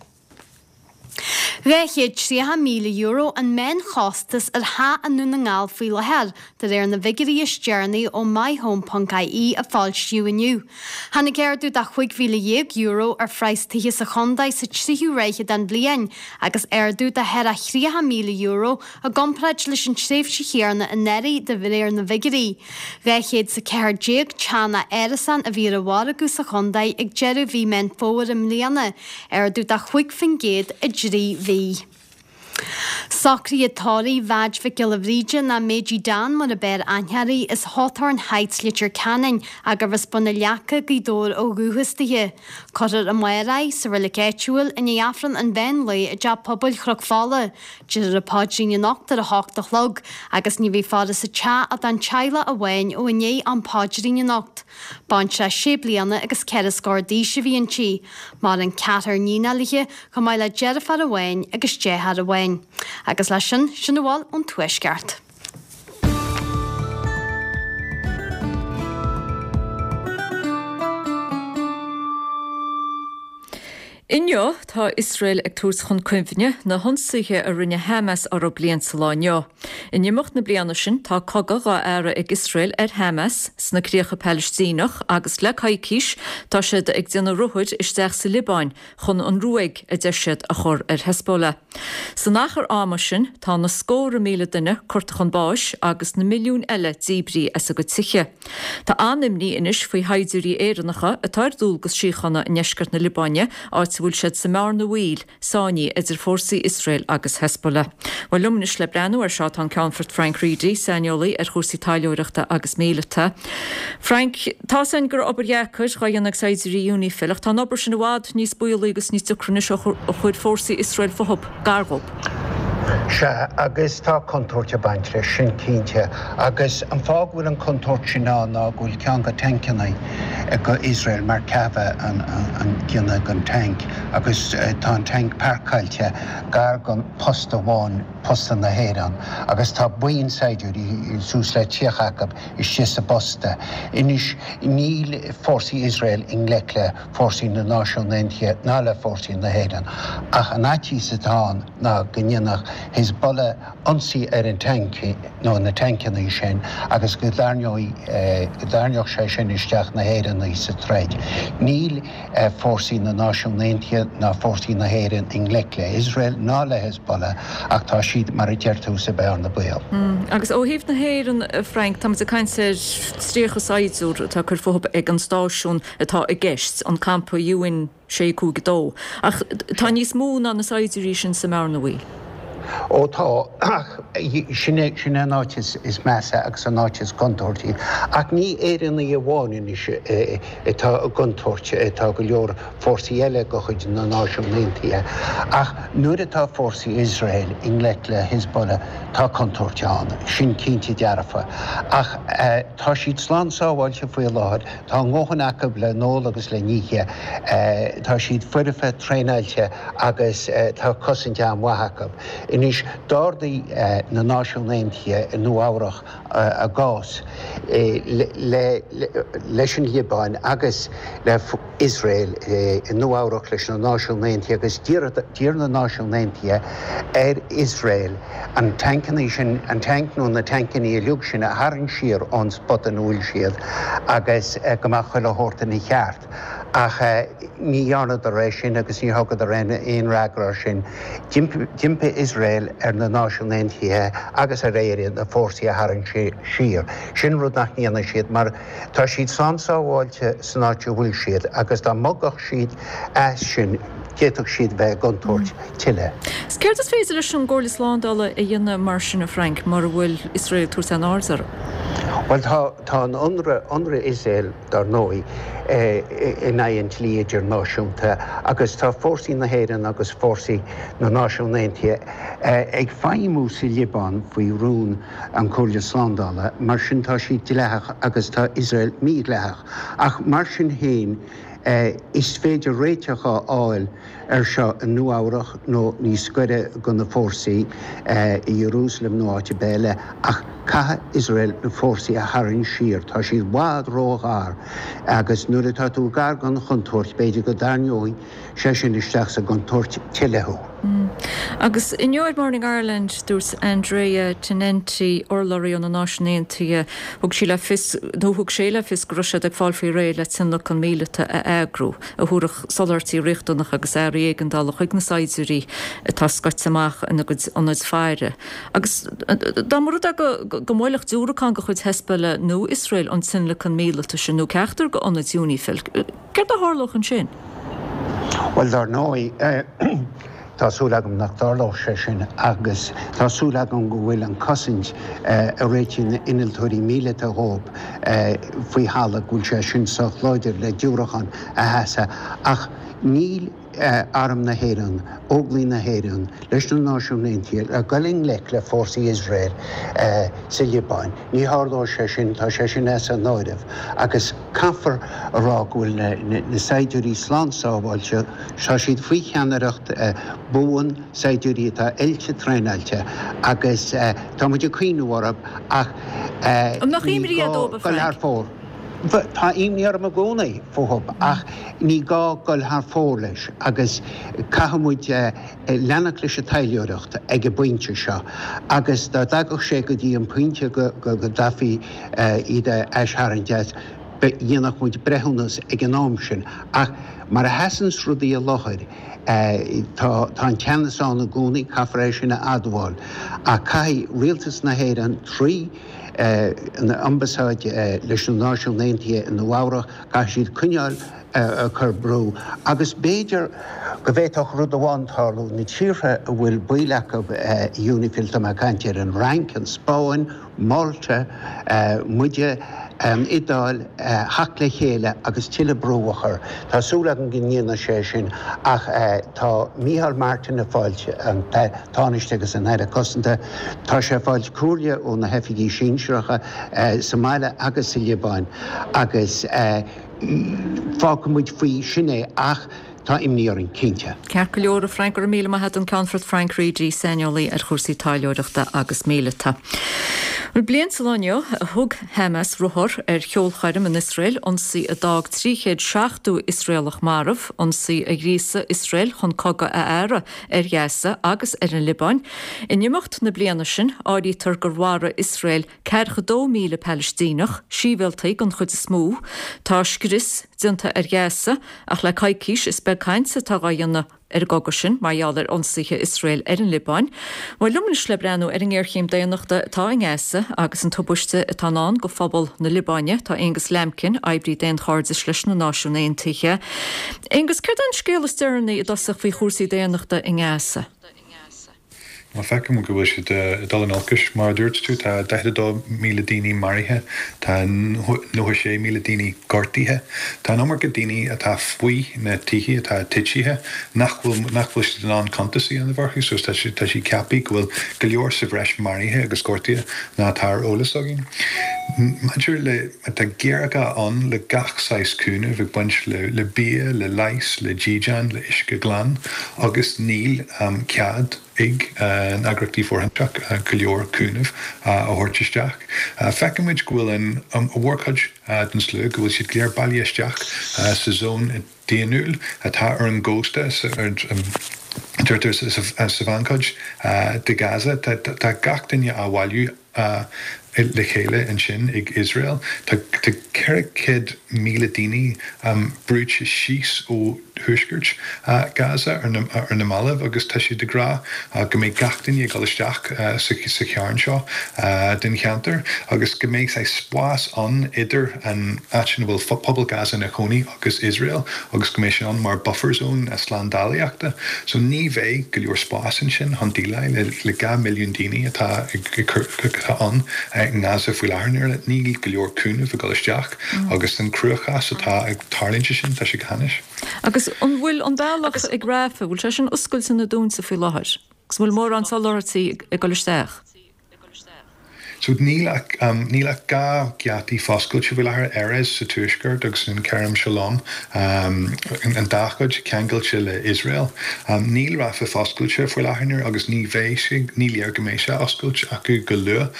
Dhá chéad tríocha míle euro an meánchostas ar theach i nDún na nGall faoi láthair, de réir na bhfigiúirí is deireanaí ó myhome ponc ie a foilsíodh inniu. Tháinig ardú de chúig mhíle dhéag euro ar phraghas tithe sa chontae sa tríú ráithe den bhliain agus ardú de thar a thríocha míle euro i gcomparáid leis an tréimhse chéanna anuraidh de réir na bhfigiúirí. Dhá chéad is a ceathair déag teach nó árasán a bhí ar an mhargadh sa chontae ag deireadh mhí Meán Fómhair i mbliana, ardú de chúig faoin gcéad i dtrí mhí. Socruithe tórraimh Mheaid Mhic Giolla Bhríde nó Méidí Dan mar ab fhearr aithne uirthi as Hawthorn Heights Leitir Ceanainn gurbh as Bun na Leaca, Gaoth Dobhair ó dhúchas dithe. Cuirfear amárach í sa reilig áitiúil i ndiaidh Aifreann an mheán lae i dTeach Pobail Chnoc Fola. Déarfar an paidrín anocht ar a hocht a chlog agus ní bheidh faire sa teach ach don teaghlach amháin ó i ndiaidh am paidrín anocht. Baintreach sé bliana agus ceithre scór d'aois a bhí inti. Maireann ceathrar níonacha léi, chomh maith le deirfiúr amháin agus deartháir amháin. Agus leis sin, sin a bhfuil ón Tuaisceart. Inniu, tá Iosrael ag tabhairt chun cuimhne na hionsaithe a rinne Hamas orthu bliain sa lá inniu. In imeacht na bliana sin, tá cogadh dhá fhearadh ag Iosrael ar Hamas sna críocha Palaistíneach agus le coicís tá siad ag déanamh ruthair isteach sa Liobáin chun an ruaig, a deir siad, a chur ar Hezbollah. San achar ama sin, tá na scórtha míle duine curtha chun báis agus na milliúin eile díbrithe as a gcuid tithe. Tá an-imní anois faoi shaighdiúirí Éireannacha atá ar dualgas síochána i ndeisceart na Liobáine, áit a bhfuil siad sa mbearna bhaoil, sáinnithe idir fórsaí Iosrael agus Hezbollah. Bhuel, liom anois le breathnú air seo tá an Ceannfort Frank Reidy, saineolaí ar chúrsaí taidhleoireachta agus míleata. Frank, tá's againn go raibh obair dheacair dhá dhéanamh ag saighdiúirí UNIFIL, ach tá an obair sin i bhfad níos baolaí agus níos deacra anois ó chuir fórsaí Iosrael fúthu gar dhóibh. Sea, agus tá contúirt ag baint leis sin, cinnte. Agus an fáth go bhfuil an chontúirt sin ann ná go bhfuil ceann de tancanna ag Iosrael, Merkava an gunna den tanc, agus tá an tanc páirceáilte gar don posta amháin, posta na hÉireann, agus tá buíon saighdiúirí, suas le tríocha acu, istigh sa bposta. Anois, níl fórsaí Iosrael i ngleic le fórsaí na Náisiún Aontaithe ná le fórsaí na hÉireann, ach an fhaitíos atá ann ná go ndéanfadh Hezbollah ionsaí ar an tanc nó na tancanna sin agus go dtarraingeoidh go dtarraingeodh sé sin isteach na hÉireannaigh sa troid. Níl fórsaí na Náisiún Aontaithe ná fórsaí na hÉireann i ngleic le Iosrael ná le Hezbollah ach tá siad, mar a deir tú, sa bhearna baoil. Agus ó thaobh na hÉireann, a Frank, táimid ag caint ar tríocha saighdiúir atá ag cur fúthu ag an stáisiún atá i gceist, an campa UN sé cúig a dó. Ach tá níos mó ná na saighdiúirí sin sa mbearna bhaoil. Ó tá, ach sin é, sin é an áit is measa agus an áit is contúirtí. Ach ní Éireannaigh amháin anois atá i gcontúirt, tá go leor fórsaí eile de chuid na Náisiún Aontaithe. Ach nuair atá fórsaí Iosrael i ngleic le Hezbollah, tá contúirt ann, sin cinnte dearfa. Ach tá siad slán sábháilte faoi láthair, tá a ndóthain acu le n-ól agus le n-ithe, tá siad foirfe, traenáilte agus tá cosaint an-mhaith acu. Anois, d'ardaigh na Náisiúin Aontaithe i Nua Eabhrach a gcás leis an Liobáin agus le Iosrael i Nua Eabhrach leis na Náisiúin Aontaithe agus d'iarr na Náisiúin Aontaithe ar Iosrael an tancanna sin, an tanc nó na tancanna uilig sin a tharraingt siar ón spota ina bhfuil siad agus go mbeadh chuile shórt ina cheart. Ach ní dhearnadar é sin agus ní thugadar aon fhreagra air sin. D'impigh Iosrael ar na Náisiúin Aontaithe agus ar Éirinn na fórsaí a tharraingt siar. Sin rud nach ndéanfaidh siad mar tá siad slán sábháilte san áit a bhfuil siad agus dá mbogfadh siad as sin d'fhéadfadh siad bheith i gcontúirt tuilleadh. Céard is féidir leis an gComhairle Slándála a dhéanamh mar sin, a Frank, mura bhfuil Iosrael ag tabhairt aon aird orthu? Bhuel, tá, tá an ionradh, ionradh Iosrael, dar ndóigh, in aghaidh an dlí idirnáisiúnta agus tá fórsaí na hÉireann agus fórsaí na Náisiún Aontaithe ag feidhmiú sa Liobáin faoi rún an Chomhairle Slándála, mar sin tá siad dleathach agus tá Iosrael mídhleathach. Ach mar sin féin, Is féidir réiteach a fháil air seo i Nua Eabhrach nó níos gaire do na fórsaí, i Iarúsailéim nó áit ar bith eile, ach caithfidh Iosrael na fórsaí a tharraingt siar. Tá siad i bhfad róghar agus nuair atá tú gar don chontúirt, b'fhéidir go dtarraingeoidh sé sin isteach sa gcontúirt tuilleadh thú. Agus inniu ar Morning Ireland, dúirt Andrea Tenenti, urlabhraí ó na Náisiúin Aontaithe, thug sí le fios, nó thug sé le fios go raibh siad ag fáil faoi réir le tionlacan míleata a eagrú, a thabharfadh soláthairtí riachtanacha agus earraí éigeandála chuig na saighdiúirí atá scoite amach ina gcuid ionaid faire. Agus dá mba rud é go go mbuailfeadh diúracán de chuid Hezbollah nó Iosrael an tionlacan míleata sin nó ceachtar d'ionaid UNIFIL, céard a tharlódh ansin? Bhuel, dar ndóigh, tá súil agam nach dtarlódh sé sin agus tá súil agam go bhfuil an cosaint a réitigh na innealtóirí míleata dhóibh faoi thalamh, go bhfuil sé sin sách láidir le diúracán a sheasamh. Ach níl Arm na hÉireann, Óglaigh na hÉireann, leis na Náisiúin Aontaithe le dul i ngleic le fórsaí Iosrael sa Liobáin. Ní tharlóidh sé sin, tá sé sin as an áireamh agus caithfear a rá go bhfuil na saighdiúirí slán sábháilte, tá siad faoi cheannaireacht buan, saighdiúirí atá oilte traenáilte agus tá muid ag cuimhniú orthu ach An mbeadh ní imní gá dóibh, a dul thar Frank? fóir. Tá imní orm i gcónaí fúthu ach ní gá dul thar fóir leis agus caithfidh muid leanacht leis an taidhleoireacht ag an bpointe seo agus dá dtagadh sé go dtí an pointe go gcaithfí iad a aistharraingt as, dhéanfadh muid breithiúnas ag an am sin. Ach mar a sheasanns rudaí i láthair, tá an teannas ann i gcónaí, caithfear é sin a admháil. Ach caithfidh Rialtas na hÉireann trí an Ambasáid leis na Náisiúin Aontaithe i Nua Eabhrac, caithfidh siad coinneáil ag cur brú. Agus b'fhéidir go bhféadfadh rud amháin tarlú, na tíortha a bhfuil baill acu i UNIFIL, tá mé ag caint ar an Fhrainc, an Spáinn, Malta, muide, an Iodáil, theacht le chéile agus tuilleadh brú a chur. Tá súil agam go ndéanfaidh sé sin ach tá Micheál Martin ag fáilt, an Tánaiste agus an Aire Cosanta, tá sé ag fáilt comhairle ó na hoifigigh sinsearacha sa mbaile agus sa Liobáin agus fágfaidh muid faoi sin é ach tá imní orainn, cinnte. Ceart go leor, a Frank, go raibh míle maith agat, an Ceannfort Frank Reidy, saineolaí ar chúrsaí taidhleoireachta agus míleata. Bhuel, bliain sa lá inniu a thug Hamas ruathar ar cheolchoirm in Iosrael, ionsaí a d'fhág trí chéad seachtó Iosraelach marbh, ionsaí a ghríosaigh Iosrael chun cogadh a fhearadh ar Ghaza agus ar an Liobáin. In imeacht na bliana sin, áirítear gur mharaigh Iosrael ceathracha dó míle Palaistíneach, sibhialtaigh den chuid is mó. Tá scrios déanta ar Ghaza, ach le coicís is beag caint atá á dhéanamh ar an gcogadh sin mar gheall ar ionsaithe Iosrael ar an Liobáin. Bhuel, liom anois le breathnú ar an ngéarchéim daonnachta atá i nGaza agus an tubaiste atá i ndán do phobal na Liobáine, tá Aonghus Lambkin, oibrí daonchairdis leis na Náisiúin Aontaithe. Aonghus, céard é an scéal is deireanaí i dtosach faoi chúrsaí daonnachta i nGaza? Bhuel, feicim go bhfuil siad ag dul in olcais, mar a dúirt tú, tá daichead a dó míle daoine maraithe, tá nócha sé míle daoine gortaithe. Tá an iomarca daoine atá faoi na tithe atá titithe nach bhfuil nach bhfuil siad in ann cuntas a dhéanamh orthu, so tá sé tá sé ceaptha go bhfuil go leor sa bhreis maraithe agus gortaithe ná atá ar eolas againn. Maidir le tá géarghá ann le gach saghas cúnamh ag baint le le bia, le leigheas, le dídean, le uisce glan agus níl cead ag na heagraíochtaí fóirithinte go leor cúnamh a thabhairt isteach. Feicimid go bhfuil an mhórchuid den slua, go bhfuil siad go léir bailithe isteach sa zón daonnúil atá ar an gcósta, deirtear sa mheánchuid de Gaza. Tá gach duine á bhailiú le chéile ansin ag Iosrael. Tá ceithre chéad míle daoine brúite síos ó thuaisceart Gaza ar na mallaibh agus tá siad ag rá go mbeidh gach duine ag dul isteach sa chearn seo den cheantar agus go mbeidh saghas spás ann idir an áit ina bhfuil pobal Gaza ina chónaí agus Iosrael agus go mbeidh sé ann mar buffer zone slándálaíochta. So ní bheidh go leor spás ansin chun déileáil le dhá milliún daoine atá atá ann i nGaza faoi láthair. Níl go leor cúnamh ag dul isteach agus an cruachás atá ag tarlúint sin, tá sé go hainnis. Agus an bhfuil an bealach ag Rafah, bhfuil sé sin oscailte nó dúnta faoi láthair? Agus an bhfuil mórán soláthairtí ag dul isteach? So níl ach níl ach dhá gheataí foscailte faoi láthair, Erez sa tuaisceart agus an Kerem Shalom, an dá chuid ceangailte le Iosrael. Níl Rafah foscailte faoi láthair agus ní bheidh sé, ní léir go mbeidh sé oscailte acu go luath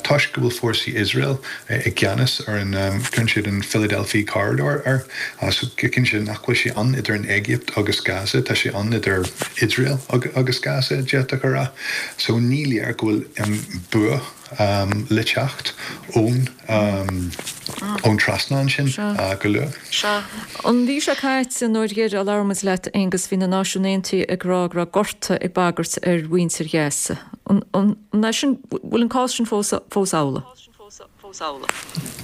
toisc go bhfuil fórsaí Iosrael i gceannas ar an, cuireann siad an Philadelphia Corridor air, so cinnte nach bhfuil sé ann idir an Éigipt agus Gaza, tá sé ann idir Iosrael agus Gaza, d'fhéadfadh a rá. So ní léir go bhfuil bua le teacht ón ón trasnán sin go luath. An mhí seo caite nuair dheireadh a labhair muid leat, Aonghus, bhí na Náisiúin Aontaithe ag rá go raibh gorta ag bagairt ar mhuintir Ghaza. An é sin, bhfuil an cás sin fós fós amhlaidh?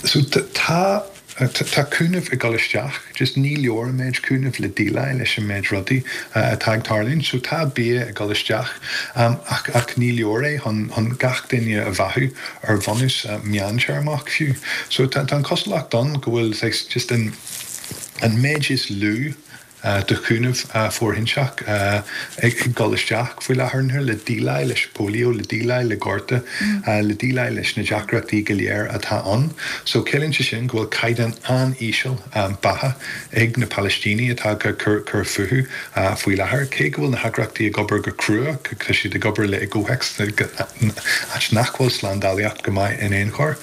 So tá Tá cúnamh ag dul isteach, just ní leor an méid cúnamh le déileáil leis an méid rudaí atá ag tarlúint. So tá bia ag dul isteach ach ach ní leor é chun chun gach duine a bheathú ar bhunús meántéarmach fiú. So tá tá an cosúlacht ann go bhfuil just an an méid is lú de chúnamh fóirithinte ag dul isteach faoi láthair le déileáil leis polio, le déileáil le gorta, le déileáil leis na deacrachtaí go léir atá ann. So ciallaíonn sé sin go bhfuil caighdeán an-íseal beatha ag na Palaistínigh atá ag cur fúthu faoi láthair. Cé go bhfuil na heagraíochtaí ag obair go crua, tá siad ag obair le i gcomhthéacs áit nach bhfuil slándálaíocht go maith in aon chor.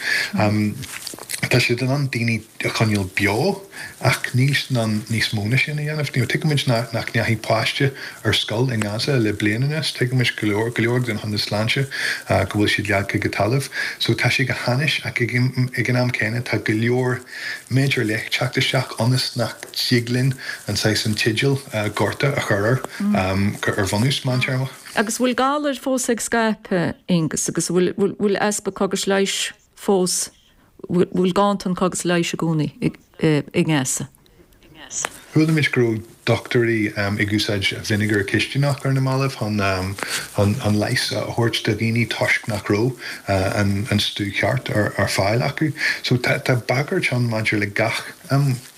Tá siad in ann daoine a choinneáil beo ach níl siad in ann níos mó ná sin a dhéanamh. You know, tuigimid nach nach ndeachaigh páiste ar scoil i nGaza le bliain anuas, tuigimid go leor go leor den hionad sláinte go bhfuil siad leagtha go talamh. So tá sé go hainnis ach ag ag an am céanna tá go leor méid ar leith teacht isteach ionas nach dtig linn an saghas an teideal gorta a chur air ar bhunús meántéarmach. Agus bhfuil galair fós ag scaipeadh, Aonghus, agus bhfuil bhfuil easpa cógas leighis fós bhfuil ganntan cógas leighis i gcónaí i nGaza? Chuala muid go raibh dochtúirí ag úsáid vinegar cistineach ar na mallaibh chun an leigheas a thabhairt do dhaoine toisc nach raibh an stuif ceart ar fáil acu. So tá bagairt ann maidir le gach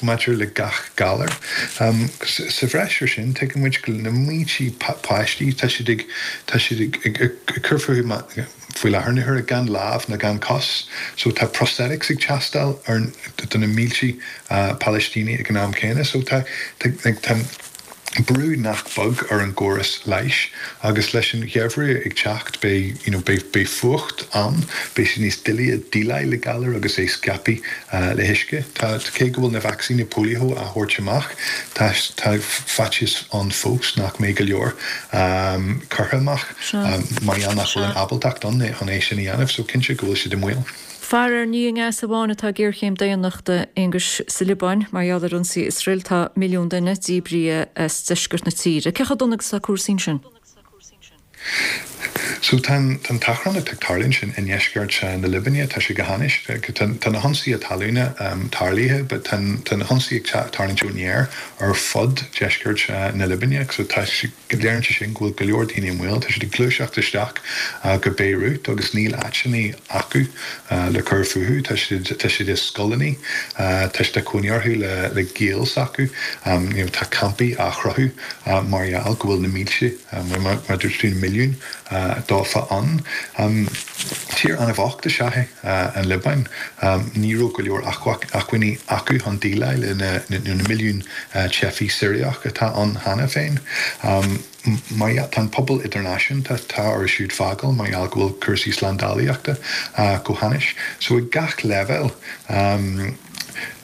maidir le gach galar. Sa bhreis ar sin, tuigeann muid go na mílte páistí tá siad ag tá siad ag cur fúthu faoi láthair na huaire gan lámh ná gan cos, so tá prosthetics ag teastáil ar do na mílte Palaistínigh ag an am céanna, so tá tá brú nach beag ar an gcóras leighis agus leis an gheimhreadh ag teacht beidh you know, beidh, beidh fuacht ann, beidh sé níos doiligh déileáil le galar agus é scaipthe le huisce. Tá cé go bhfuil na vacsaíní polio á thabhairt amach, tá tá faitíos ann fós nach mbeidh go leor um, curtha amach um, mar gheall nach bhfuil an ábaltacht ann chun é sin a dhéanamh, so cinnte go bhfuil siad i mbaol. Faraor ní i nGaza amháin atá géarchéim daonnachta, Aonghus, sa Liobáin mar gheall ar ionsaí Iosrael tá milliún duine díbrithe as deisceart na tíre. Cé chomh dona agus atá cúrsaí ansin? So tá an t-achrann atá ag tarlú sin i ndeisceart na Liobáine tá sé go hainnis tá na hionsaithe talún tarlaithe, but tá na hionsaithe ag tarlúint ón aer ar fud deisceart na Liobáine, so tá léiríonn sé sin go bhfuil go leor daoine i mbaol, tá siad ag gluaiseacht isteach go Beirut agus níl áiteanna acu le cur fúthu, tá siad tá siad i scoileanna, tá siad ag cónaí orthu le le gaol s'acu, you know, tá campaí á chruthú mar gheall go bhfuil na mílte mar mar dúirt tú milliún dófa ann. Tír an-bhocht is ea é an Liobáin, ní raibh go leor acmhainní acu chun déileáil le na na milliún teifeach Siriach atá ann cheana féin. Mar tá an pobal idirnáisiúnta tá orthu siúd fágáil mar gheall go bhfuil cúrsaí slándálaíochta go hainnis. So ag gach leibhéal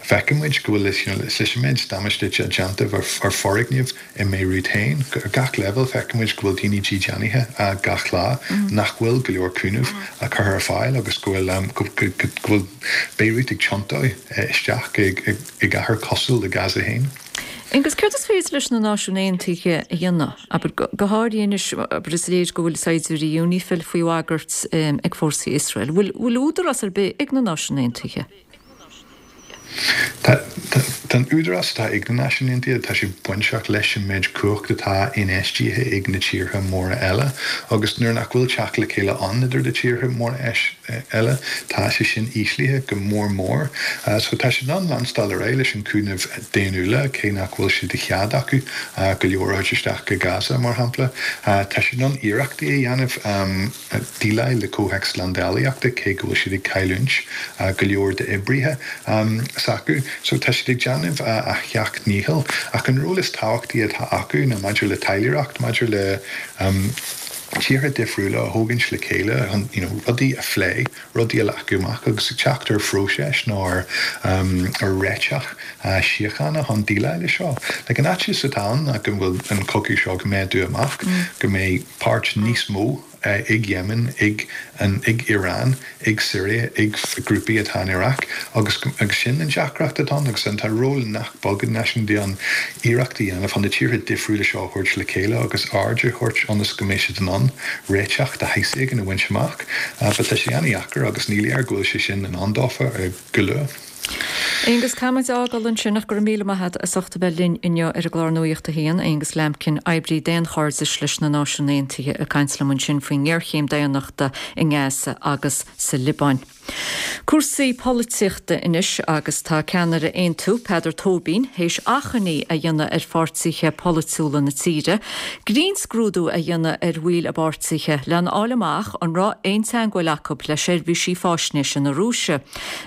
feiceann muid go bhfuil leis an méid damáiste déanta ar foirgnimh i mBeirut féin. Ar gach leibhéal feiceann muid go bhfuil daoine dídeanaithe gach lá, nach bhfuil go leor cúnamh curtha ar fáil agus go bhfuil go bhfuil Beirut ag tiontú isteach i gcathair cosúil le Gaza féin. Agus céard is féidir leis na Náisiúin Aontaithe a dhéanamh? Abair, go háirithe anois, abair is léir go bhfuil saighdiúirí UNIFIL faoi bhagairt ag fórsaí Iosrael. Bhfuil bhfuil údarás ar bith ag na Náisiúin Aontaithe? Tá an údarás atá ag na Náisiúin Aontaithe, tá sé bainteach leis an méid cumhacht atá infheistithe ag na tíortha móra eile agus nuair nach bhfuil teacht le chéile ann idir na tíortha móra eile, tá sé sin íslithe go mór mór. So tá siad in ann leanstáil ar aghaidh leis an cúnamh daonnúla, cé nach bhfuil sé de chead acu go leor a thabhairt isteach go Gaza, mar shampla. Tá siad in ann iarrachtaí a dhéanamh déileáil le comhthéacs slándálaíochta, cé go bhfuil siad ag cailliúint go leor d'oibrithe s'acu. So tá siad ag déanamh a sheacht ndícheall. Ach an ról is tábhachtaí atá acu ná maidir le taidhleoireacht, maidir le tíortha difriúla a thógaint le chéile chun you know, rudaí a phlé, rudaí a leagadh amach agus ag teacht ar phróiseas nó ar ar réiteach síochána chun déileáil le seo. Like an fhaitíos atá ann ná go bhfuil an cogadh seo ag méadú amach, go mbeidh páirt níos mó ag Yemen, ag an ag Iran, ag Syria, ag grúpaí atá in Iraq agus agus sin an deacracht atá ann agus an tá ról nach beag ag Náisiúin Aontaithe an iarracht a dhéanamh chun na tíortha difriúla seo a thabhairt le chéile agus aird a thabhairt ionas go mbeidh siad in ann réiteach de shaghas éigin a bhaint amach. But tá sé an-deacair agus ní léir go bhfuil sé sin in ann dófa go luath. Aonghus, caithfimid a fhágáil ansin ach go raibh míle maith agat as ucht a bheith linn inniu ar an gclár Nuacht a hAon, Aonghus Lambkin, oibrí daonchairdis leis na Náisiúin Aontaithe ag caint liom ansin faoin ngéarchéim daonnachta i nGaza agus sa Liobáin. Cúrsaí polaitíochta anois agus tá ceannaire Aontú, Peadar Tóibín, théis achainí a dhéanamh ar pháirtithe polaitiúla na tíre, grinnscrúdú a dhéanamh ar bhaill a bpáirtithe lena fháil amach an raibh aon teagmháil acu le seirbhísí faisnéise na Rúise.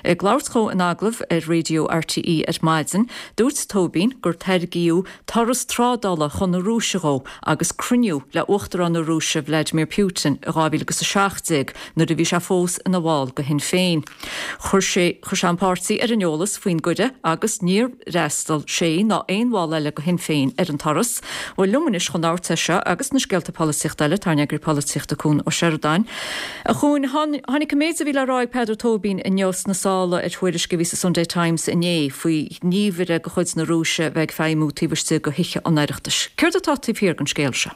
Ag labhairt dó in agallamh ar Raidió RTÉ ar maidin, dúirt Tóibín gur tairgíodh turas trádála chun na Rúise dhó agus cruinniú le Uachtarán na Rúise Vladimir Putin i dhá mhíle agus a seacht déag nuair a bhí sé fós ina bhall de Shinn Féin. Chuir sé chuir sé an páirtí ar an eolas faoin gcuireadh agus níor fhreastail sé ná aon bhall eile de Shinn Féin ar an turas. Bhuel liom anois chun labhairt air seo agus na scéalta polaitíochta eile tá ár n-eagraí polaitíochta Cuan Ó Seireadáin. A Chuain, tháinig an méid a bhí le rá ag Peadar Tóibín inniu sna sála ar thuairisc a bhí sa Sunday Times inné faoi ghníomhaire de chuid na Rúise bheith ag feidhmiú taobh istigh de Thithe an Oireachtais. Céard atá taobh thiar den scéal seo?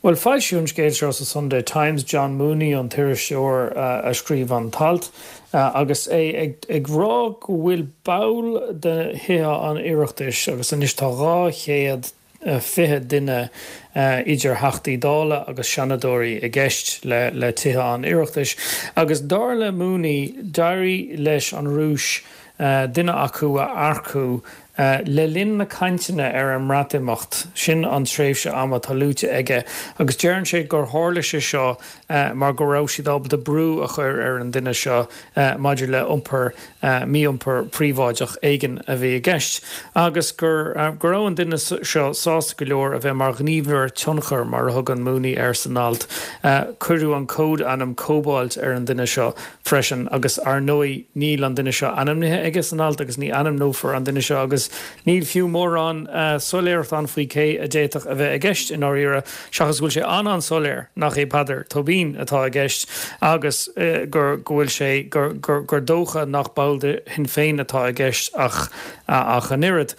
Bhuel, foilsíodh an scéal seo sa Sunday Times, John Mooney an t-iriseoir a scríobh an t-alt, agus é ag rá go bhfuil ball de Thithe an Oireachtais, agus anois tá dhá chéad fiche duine idir Theachtaí Dála agus Seanadóirí i gceist le Tithe an Oireachtais, agus dar le Mooney, d'éirigh leis an Rúis duine acu a earcú Le linn na cainteanna ar an mBreatimeacht, sin an tréimhse ama atá luaite aige, agus deireann sé gur tharla sé seo mar go raibh siad ábalta brú a chur ar an duine seo maidir le iompar, mí-iompar príobháideach éigin a bhí i gceist, agus gur go raibh an duine seo sásta go leor a bheith mar ghníomhaire tionchair, mar a thugann Mooney air san alt. Cuireadh an cód-ainm Cobalt ar an duine seo freisin, agus ar ndóigh níl an duine seo ainmnithe aige san alt agus ní ainmneofar an duine seo agus níl fiú mórán soiléireacht ann faoi cé a d'fhéadfadh a bheith i gceist i ndáiríre, seachas go bhfuil sé an-an-soiléir nach é Peadar Tóibín atá i gceist agus gur go bhfuil sé gur gur dócha nach ball de Shinn Féin atá i gceist ach ach an oiread.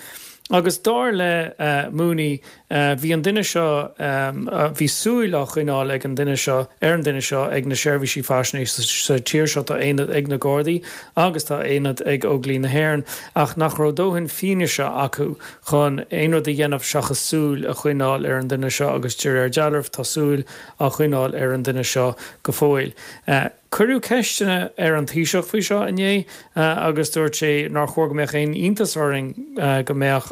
Agus dar le Mooney, bhí an duine seo, bhí súil á choinneáil ag an duine seo, ar an duine seo ag na seirbhísí faisnéise sa tír seo, tá aonad ag na Gardaí agus tá aonad ag Óglaigh na hÉireann, ach nach raibh dóthain fianaise acu chun aon rud a dhéanamh seachas súil a choinneáil ar an duine seo agus de réir dealraimh tá súil á choinneáil ar an duine seo go fóill. Cuireadh ceisteanna ar an Taoiseach faoi seo inné agus dúirt sé nár chóir go mbeadh aon iontas orainn go mbeadh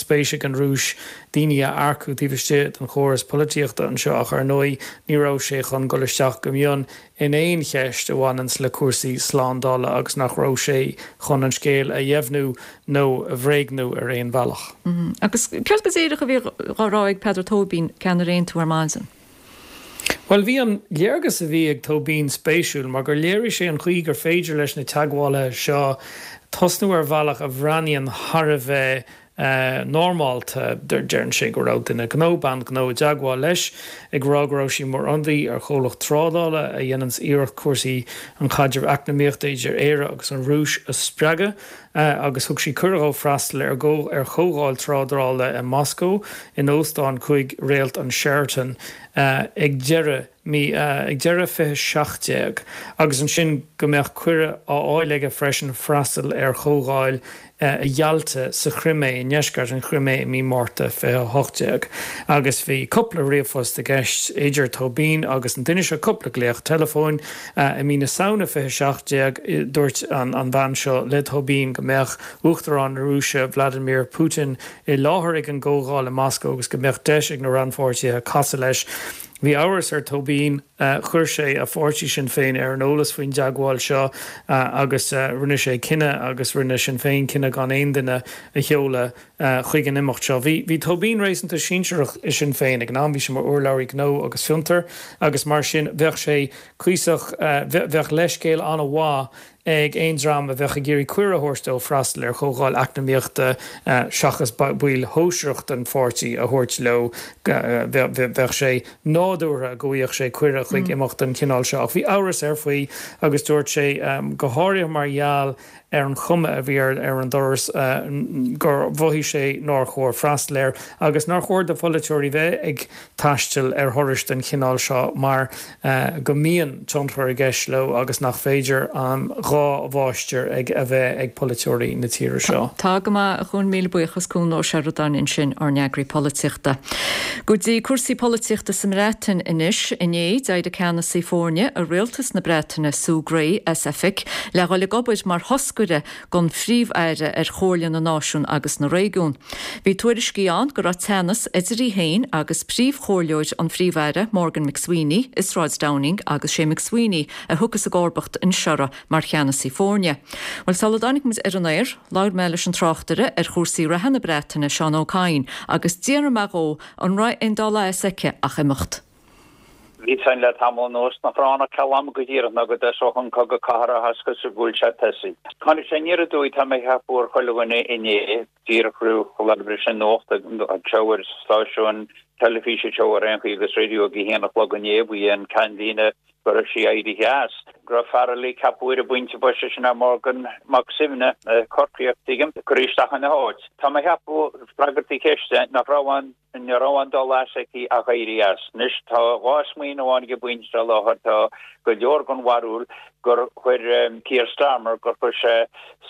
spéis ag an Rúis daoine a earcú taobh istigh den chóras polaitíochta anseo ach ar ndóigh ní raibh sé chun dul isteach go mion in aon cheist a bhaineanns le cúrsaí slándála agus nach raibh sé chun an scéal a dheimhniú nó a bhréagnú ar aon bhealach. Agus céard go díreach a bhí á rá ag Peadar Tóibín, ceannaire Aontú ar maidin? Bhuel, bhí an léargas a bhí ag Tóibín spéisiúil mar gur léirigh sé an chaoi gur féidir leis na teagmhálaithe seo tosnú ar bhealach a bhreathnaíonn thar a bheith normálta. Deireann sé go raibh duine gnó, bean ghnó i dteagmháil leis ag rá go raibh sí mar ionadaí ar chomhlacht trádála a dhéananns iarracht cúrsaí an chaidrimh eacnamaíochta idir Éire agus an Rúis a spreagadh agus thug sí cuireadh dhó freastal ar ar chomhdháil trádála i Moscó in óstán cúig réalt an Sheraton ag deireadh mí ag deireadh fiche seacht déag agus ansin go mbeadh cuireadh á fháil aige freisin freastal ar chomhdháil i Yalta sa Chrimé, i ndeisceart an Chrimé i mí Márta fiche a hocht déag. Agus bhí cúpla ríomhphost i gceist idir Tóibín agus an duine seo, cúpla glaoch teileafóin. I mí na Samhna fiche seacht déag dúirt an an bhean seo le Tóibín go mbeadh Uachtarán na Rúise Vladimir Putin i láthair ag an gcomhdháil i Moscó agus go mbeadh deis ag na rannpháirtithe casadh leis. Bhí amhras ar Tóibín. Chuir sé a pháirtí Sinn Féin ar an eolas faoin dteagmháil seo agus rinne sé cinneadh agus rinne Sinn Féin cinneadh gan aon duine a sheoladh chuig an imeacht seo. Bhí bhí Tóibín réasúnta sinsearach i Sinn Féin ag an am, bhí sé mar urlabhraí gnó agus fiontar agus mar sin bheadh sé cuíosach, bheadh leithscéal an-mhaith ag aon dream a bheadh ag iarraidh cuireadh a thabhairt dó freastal ar chomhdháil eacnamaíochta seachas baill shóisearach den pháirtí a thabhairt leo. Bheadh sé nádúrtha go bhfaigheadh sé cuireadh chuig imeacht den chineál seo. Ach bhí amhras air faoi agus dúirt sé, go háirithe mar gheall ar an chuma a bhí ar an dturas, gur mhothaigh sé nár chóir freastal air agus nár chóir do pholaiteoirí bheith ag taisteal ar thurais den chineál seo mar go mbíonn tionchar i gceist leo agus nach féidir an dhá mháistir ag a bheith ag polaiteoirí na tíre seo. Tá go maith, a Chuain, míle buíochas, Cuan Ó Seireadáin ansin, ár n-eagraí polaitíochta. Go dtí cúrsaí polaitíochta sa mBreatain anois. Inné, d'éirigh ceannasaí foirne i rialtas na Breataine, Sue Gray, as oifig le dhul ag obair mar thoscaire don Phríomh-Aire ar Chomhairle na Náisiún agus na Réigiún. Bhí tuairiscí ann go raibh teannas idir í féin agus príomhchomhairleoir an Phríomh-Aire, Morgan McSweeney, i Sráid Downing agus sé McSweeney a thiocfas i gcomharbacht ar Sure mar cheannasaí foirne. Bhuel, sula dtáinig muid ar an aer, labhair mé leis an tráchtaire ar chúrsaí reatha na Breataine, Seán Ó Cadhain, agus d'fhiafraigh mé dhó an raibh aon dul as aici ach imeacht. Bhí Bhí a fhios againn le tamall anuas nach raibh ann ach ceal ama go díreach ná go dtosódh an cogadh cathartha is gur bhuail sé tosaigh. Tháinig sé aniar aduaidh tá mé a cheapadh ar chuile dhuine inné, díreach roimh dhul leis an nuacht anseo ar stáisiúin teilifíse anseo ar aon chaoi agus raidió ag a haon a chlog inné ba í an ceannlíne go raibh sí éirithe as, go raibh fear eile ceaptha ar an bpointe boise sin é Morgan Mac Suibhne, Corcaíoch, tuigim, curtha isteach ina háit. Tá mé a cheapadh, freagairt do cheiste, nach raibh an. Ní raibh aon dul as aici ach éirí as. Anois tá dhá smaoineamh ann ag an bpointe seo láthair, tá go leor den bharúil gur chuir Keir Starmer, gur chuir sé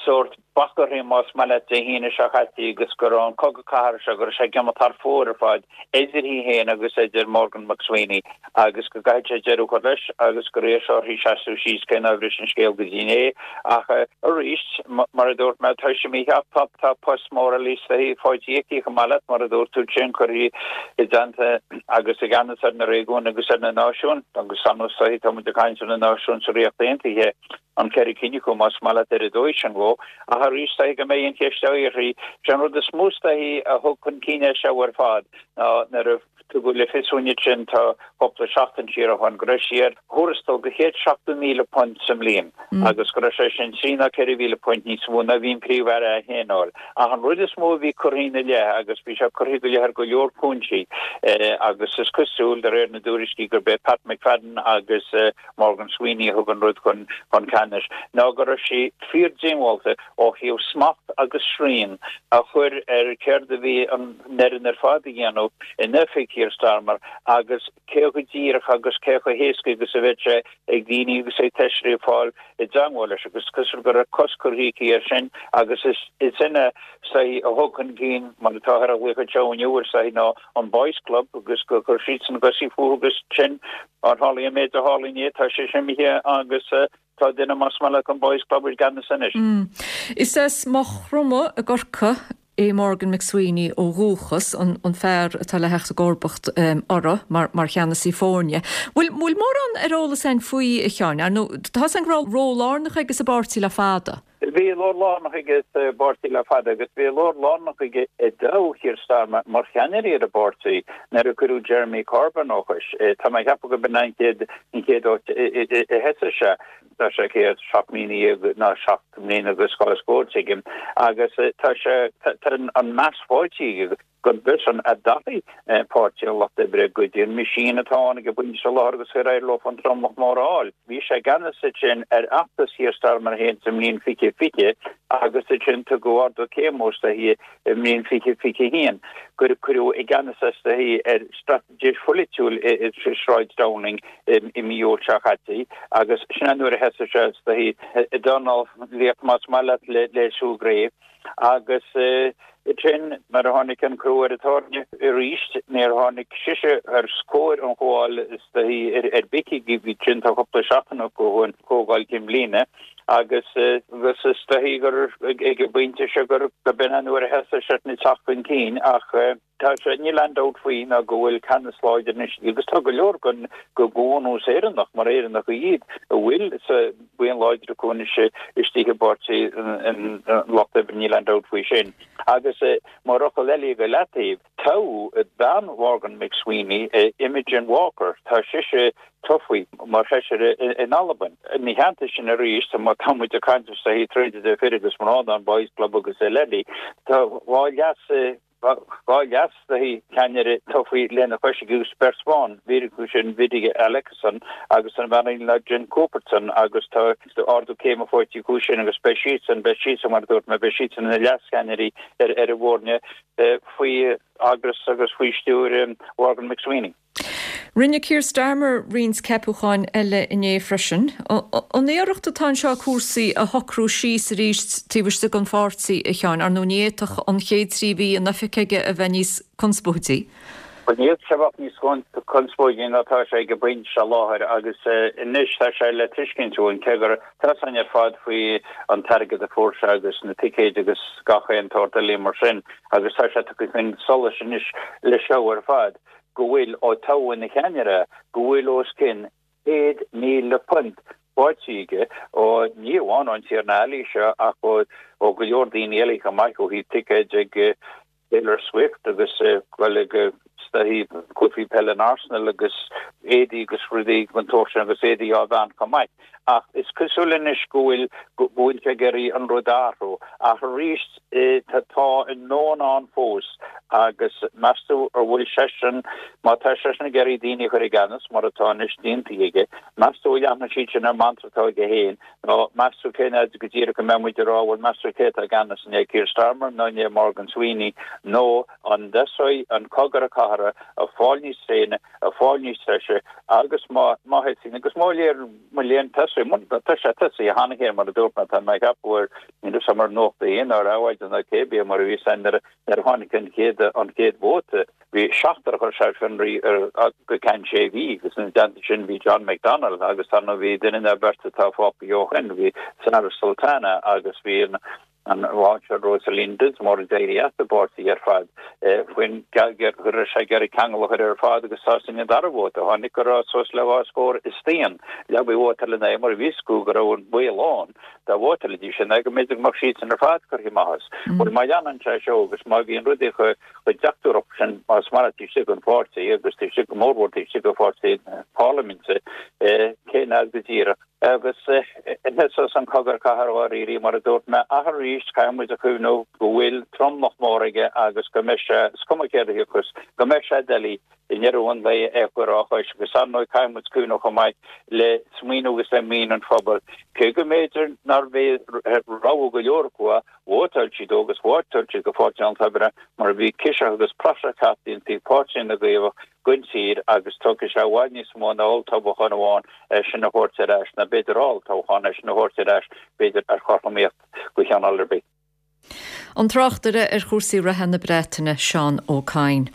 sórt bac uirthi más maith leat Dé hAoine seo caite agus go raibh an cogadh cathartha seo, go raibh sé ag imeacht thar fóir ar fad idir í féin agus idir Morgan McSweeney agus go gcaithfidh sé deireadh a chur leis agus gur iarr sé uirthi seasamh síos cé nár bhris an scéal go dtí inné ach arís mar a dúirt mé tá sé mícheart tá post mór eile faighte aici chomh maith leat mar a dúirt tú sin curtha i dteannta agus i gceannas ar na réigiúin agus ar na náisiúin agus ar ndóigh tá muid ag caint ar na náisiúin sa Ríocht Aontaithe an ceithre cinn acu más maith leat ar an dóigh sin dhó ach arís is dóichí go mbeidh an cheist uirthi sé an rud is mó is dóichí a thug chun cinn é seo ar fad ná nuair a Tugadh le fios dúinn ansin tá cúpla seachtain siar ó shin go raibh sí ar thuarastal de chéad seachtó míle punt sa mbliain agus go raibh sé sin trí ná ceithre mhíle punt níos mó ná bhí an Príomh-Aire é féin a fháil. Ach an rud is mó a bhí curtha ina leith, agus bhí sé curtha go leith ar go leor cúinsí, agus is cosúil, de réir na dtuairiscí, gurb é Pat McFadden agus Morgan Sweeney a thug an rud chun ceannais, ná go raibh sí fíor-diongbháilte ó thaobh smacht agus srian a chur ar céard a bhí an fhoireann ar fad a dhéanamh in oifig Keir Starmer agus cé chomh díreach agus cé chomh héasca agus a bheadh sé ag daoine agus ag feisirí fáil i dteangmháil leis agus is cosúil go raibh cos curtha aici air sin agus is sin is dóichí a thug chun cinn mar atáthar a ghlaoch anseo inniu is dóichí ná an Boys Club agus gur chuir siadsan a gcosa fúthu agus sin ar tharla an méid a tharla inné tá sé imithe agus Tá duine más maith leat den Boys Club i gceannas anois. Is as Maigh Chromtha i gCorcaigh é Morgan McSweeney ó dhúchas, an fear atá le theacht i gcomharbacht uirthi mar cheannasaí foirne. Bhfuil mórán ar eolas againn faoi, a Sheáin? Ar ndóigh, tá a fhios againn go raibh ról lárnach aige sa bpáirtí le fada. Bhí ról lárnach aige sa bpáirtí le fada agus bhí ról lárnach aige i dtoghadh Keir Starmer mar cheannaire ar an bpáirtí nuair a cuireadh Jeremy Corbyn ó chois. Tá mé ag ceapadh gurb in an chéad an chéad áit a sheasaigh sé. Tá sé céad seacht mbliana dhéag ná seacht mbliana agus dhá scór, tuigim, agus tá sé tá an meas faighte aige gurb eisean a d'athraigh Páirtí an Lucht Oibre go dtí an meaisín atá ann ag an bpointe seo láthair agus ar éirigh leo an tromlach mór a fháil. Bhí sé i gceannas ansin ar fheachtas Keir Starmer féin sa mbliain fiche fiche agus ansin tugadh ardú céime is dóichí i mbliain fiche fiche a haon gur cuireadh i gceannas é is dóichí ar straitéis pholaitiúil i Sráid Downing i mí Iúil seo caite agus sin é nuair a sheasaigh sé is dóichí i dornálaíocht más maith leat le Sue Gray. Agus ansin nuair a tháinig an crú ar an tairne arís, níor tháinig sise os comhair an chomhdháil is dóichí ar bith aici sin tá cúpla seachtain ó an chomhdháil cinn bhliana agus agus is dóichí gur ag an bpointe seo gur b'in an uair a thosaigh sé ag teacht chun cinn ach Tá sé, níl aon dabht faoi ná go bhfuil ceannas láidir anois agus tá go leor den bhunús Éireannach, mar Éireannacha iad, a bhfuil sa buíon láidir acu anois istigh i bPáirtí an Lucht Oibre, níl aon dabht faoi sin. Agus mar fhocal eile go leataobh, toghadh bean Mhorgan McSweeney, Imogen Walker, tá sise tofa mar Feisire in Albain. Ina theannta sin arís, má tá muid ag caint is dóichí troid idir fir agus mná, an Boys Club agus eile, tá dhá leas, Dhá leas-cheannaire tofa lena chois agus beirt bhan, beirt acu sin Vidya Alakeson agus an bhean eile ná Jen Cuthbertson agus tá ardú céime faighte acu sin agus beidh siadsan, beidh siadsan mar a dúirt mé, beidh siadsan ina leascheannairí ar an bhfoirne faoi eagras agus faoi stiúir Mhorgan McSweeney. Rinne Keir Starmer roinnt ceapacháin eile inné freisin. An iarracht atá anseo cúrsaí a shocrú síos arís taobh istigh den pháirtí, a Sheáin? Ar ndóigh ní fhéadfadh an chéad trí mhí in oifig aige a bheith níos conspóidí. Bhuel, ní fhéadfadh sé a bheith níos conspóidí ná atá sé ag an bpointe seo láthair agus anois tá sé le tuiscint uainn, cé gur tá a fhios againn ar fad faoi an t-airgead a fuair sé agus na ticéid agus gach aon tsórt eile mar sin agus tá sé tugtha chun solais anois leis seo ar fad. go bhfuil, ó toghadh ina cheannaire, go bhfuil os cionn céad míle punt faighte aige ó, ní amháin ón Tiarna Alley seo ach ó go leor daoine eile chomh maith, ó thaobh ticéid ag Taylor Swift agus goil ag staí cluichí peile an Arsenal agus éadaí agus rudaí den tsórt sin agus éadaí á bhean chomh maith. Ach is cosúil anois go bhfuil go bhfuil sé ag iarraidh an rud a athrú. Ach arís tá tá an ndán ann fós agus meas tú an bhfuil seisean, má tá seisean ag iarraidh daoine a chur i gceannas mar atá anois déanta aige, meas tú an leanfaidh siad sin ar mantra atá aige féin nó meas tú cén fhad go díreach a mbeidh muid ag rá bhuel meas tú cé atá i gceannas an é Keir Starmer nó an é Morgan Sweeney nó an dtosóidh an cogadh cathartha ag fáil níos tréine, ag fáil níos treise agus má má thosaíonn agus mo léir mo léan tosaigh mun tá sé tosaithe cheana féin mar a dúirt mé tá mé ag ceapadh ar níl fhios agam ar Nuacht a hAon nó ar Adhmhaidin nó cébí mar a bhí san nuair a tháinig an chéad an chéad vóta bhí seachtar a chuir sé ar fionraí ar go ceann sé mhí agus ina dteannta sin bhí John McDonnell agus ar ndóigh bhí duine nó beirt atá fágtha ó shin bhí Zarah Sultana agus bhí an an bhainseoir Rosaleen Dinsmore a d'éirigh as an bpáirtí ar fad faoin go raibh sé ag iarraidh ceangal a chur ar fad agus tá sin an dara vóta a tháinig go raibh suas le dhá scór is trian leabaidh vótáil ina aghaidh mar bhí fhios acu go raibh an baol ann dá vótálfaidís ina aghaidh go mb'fhéidir go mbeadh siadsan ar fad curtha amach as. Bhuel má leanann sé seo agus má bhíonn rudaí chomh deachúrach sin más mar taobh istigh den pháirtí agus taobh istigh go mórmhór taobh istigh den pháirtí parlaiminte cén fhad go díreach Agus thosós an cogadh cathartha dháiríre, mar a dúirt mé, ach arís, caithfidh muid a chuimhniú go bhfuil tromlach mór aige agus go mbeidh sé, is cuma céard a thiocfas, go mbeidh sé doiligh i ndeireadh an lae é a chur á chois. Agus ar ndóigh, caithfidh muid cuimhniú chomh maith le smaoineamh agus le mian an phobail, cé go mb'fhéidir nárbh é rogha go leor acu a vótáil siad dó agus vótáil siad do Pháirtí an Lucht Oibre mar bhí ciseach agus praiseach teacht ionsaí Páirtí na gCaomhach den tír agus tógfaidh sé i bhfad níos mó ná olltoghchán amháin é sin a thabhairt ar ais, nó b'fhéidir olltoghchán é sin a thabhairt ar ais, b'fhéidir ar chothromaíocht de chineál ar bith. An tráchtaire ar chúrsaí reatha na Breataine, Seán Ó Cadhain.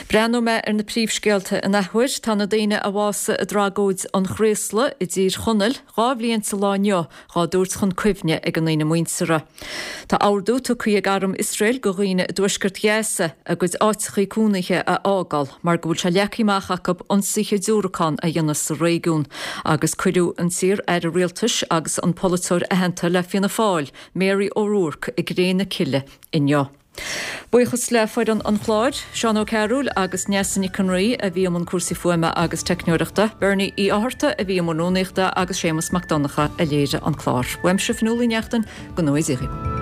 Breathnóidh mé ar na príomhscéalta in athuair. Tá na daoine a bhásaigh i dtragóid an Chraoslaigh i dTír Chonaill dhá bhliain sa lá inniu dhá dtabhairt chun cuimhne ag a ndaoine muinteartha. Tá ordú tugtha ag arm Iosrael go dhaoine i dtuaisceart Ghaza a gcuid áiteachaí cónaithe a fhágáil mar go bhfuil sé leagtha amach acu ionsaithe diúracán a dhéanamh sa réigiún agus cuireadh an t-iar-aire rialtais agus an polaiteoir aitheanta le Fianna Fáil, Mary O'Rourke, i gcré na cille inniu. Buíochas le foireann an chláir, Seán Ó Cearúil agus Neasa Nic an Rí a bhí i mbun cúrsaí fuaime agus teicneoireachta, Bernie Uí Fhátharta a bhí i mbun rúnaíochta agus Séamus Mac Donncha a léirigh an clár. Uaimse Fionnuala Uí Neachtain, go ngnóthaí Dia dhaoibh.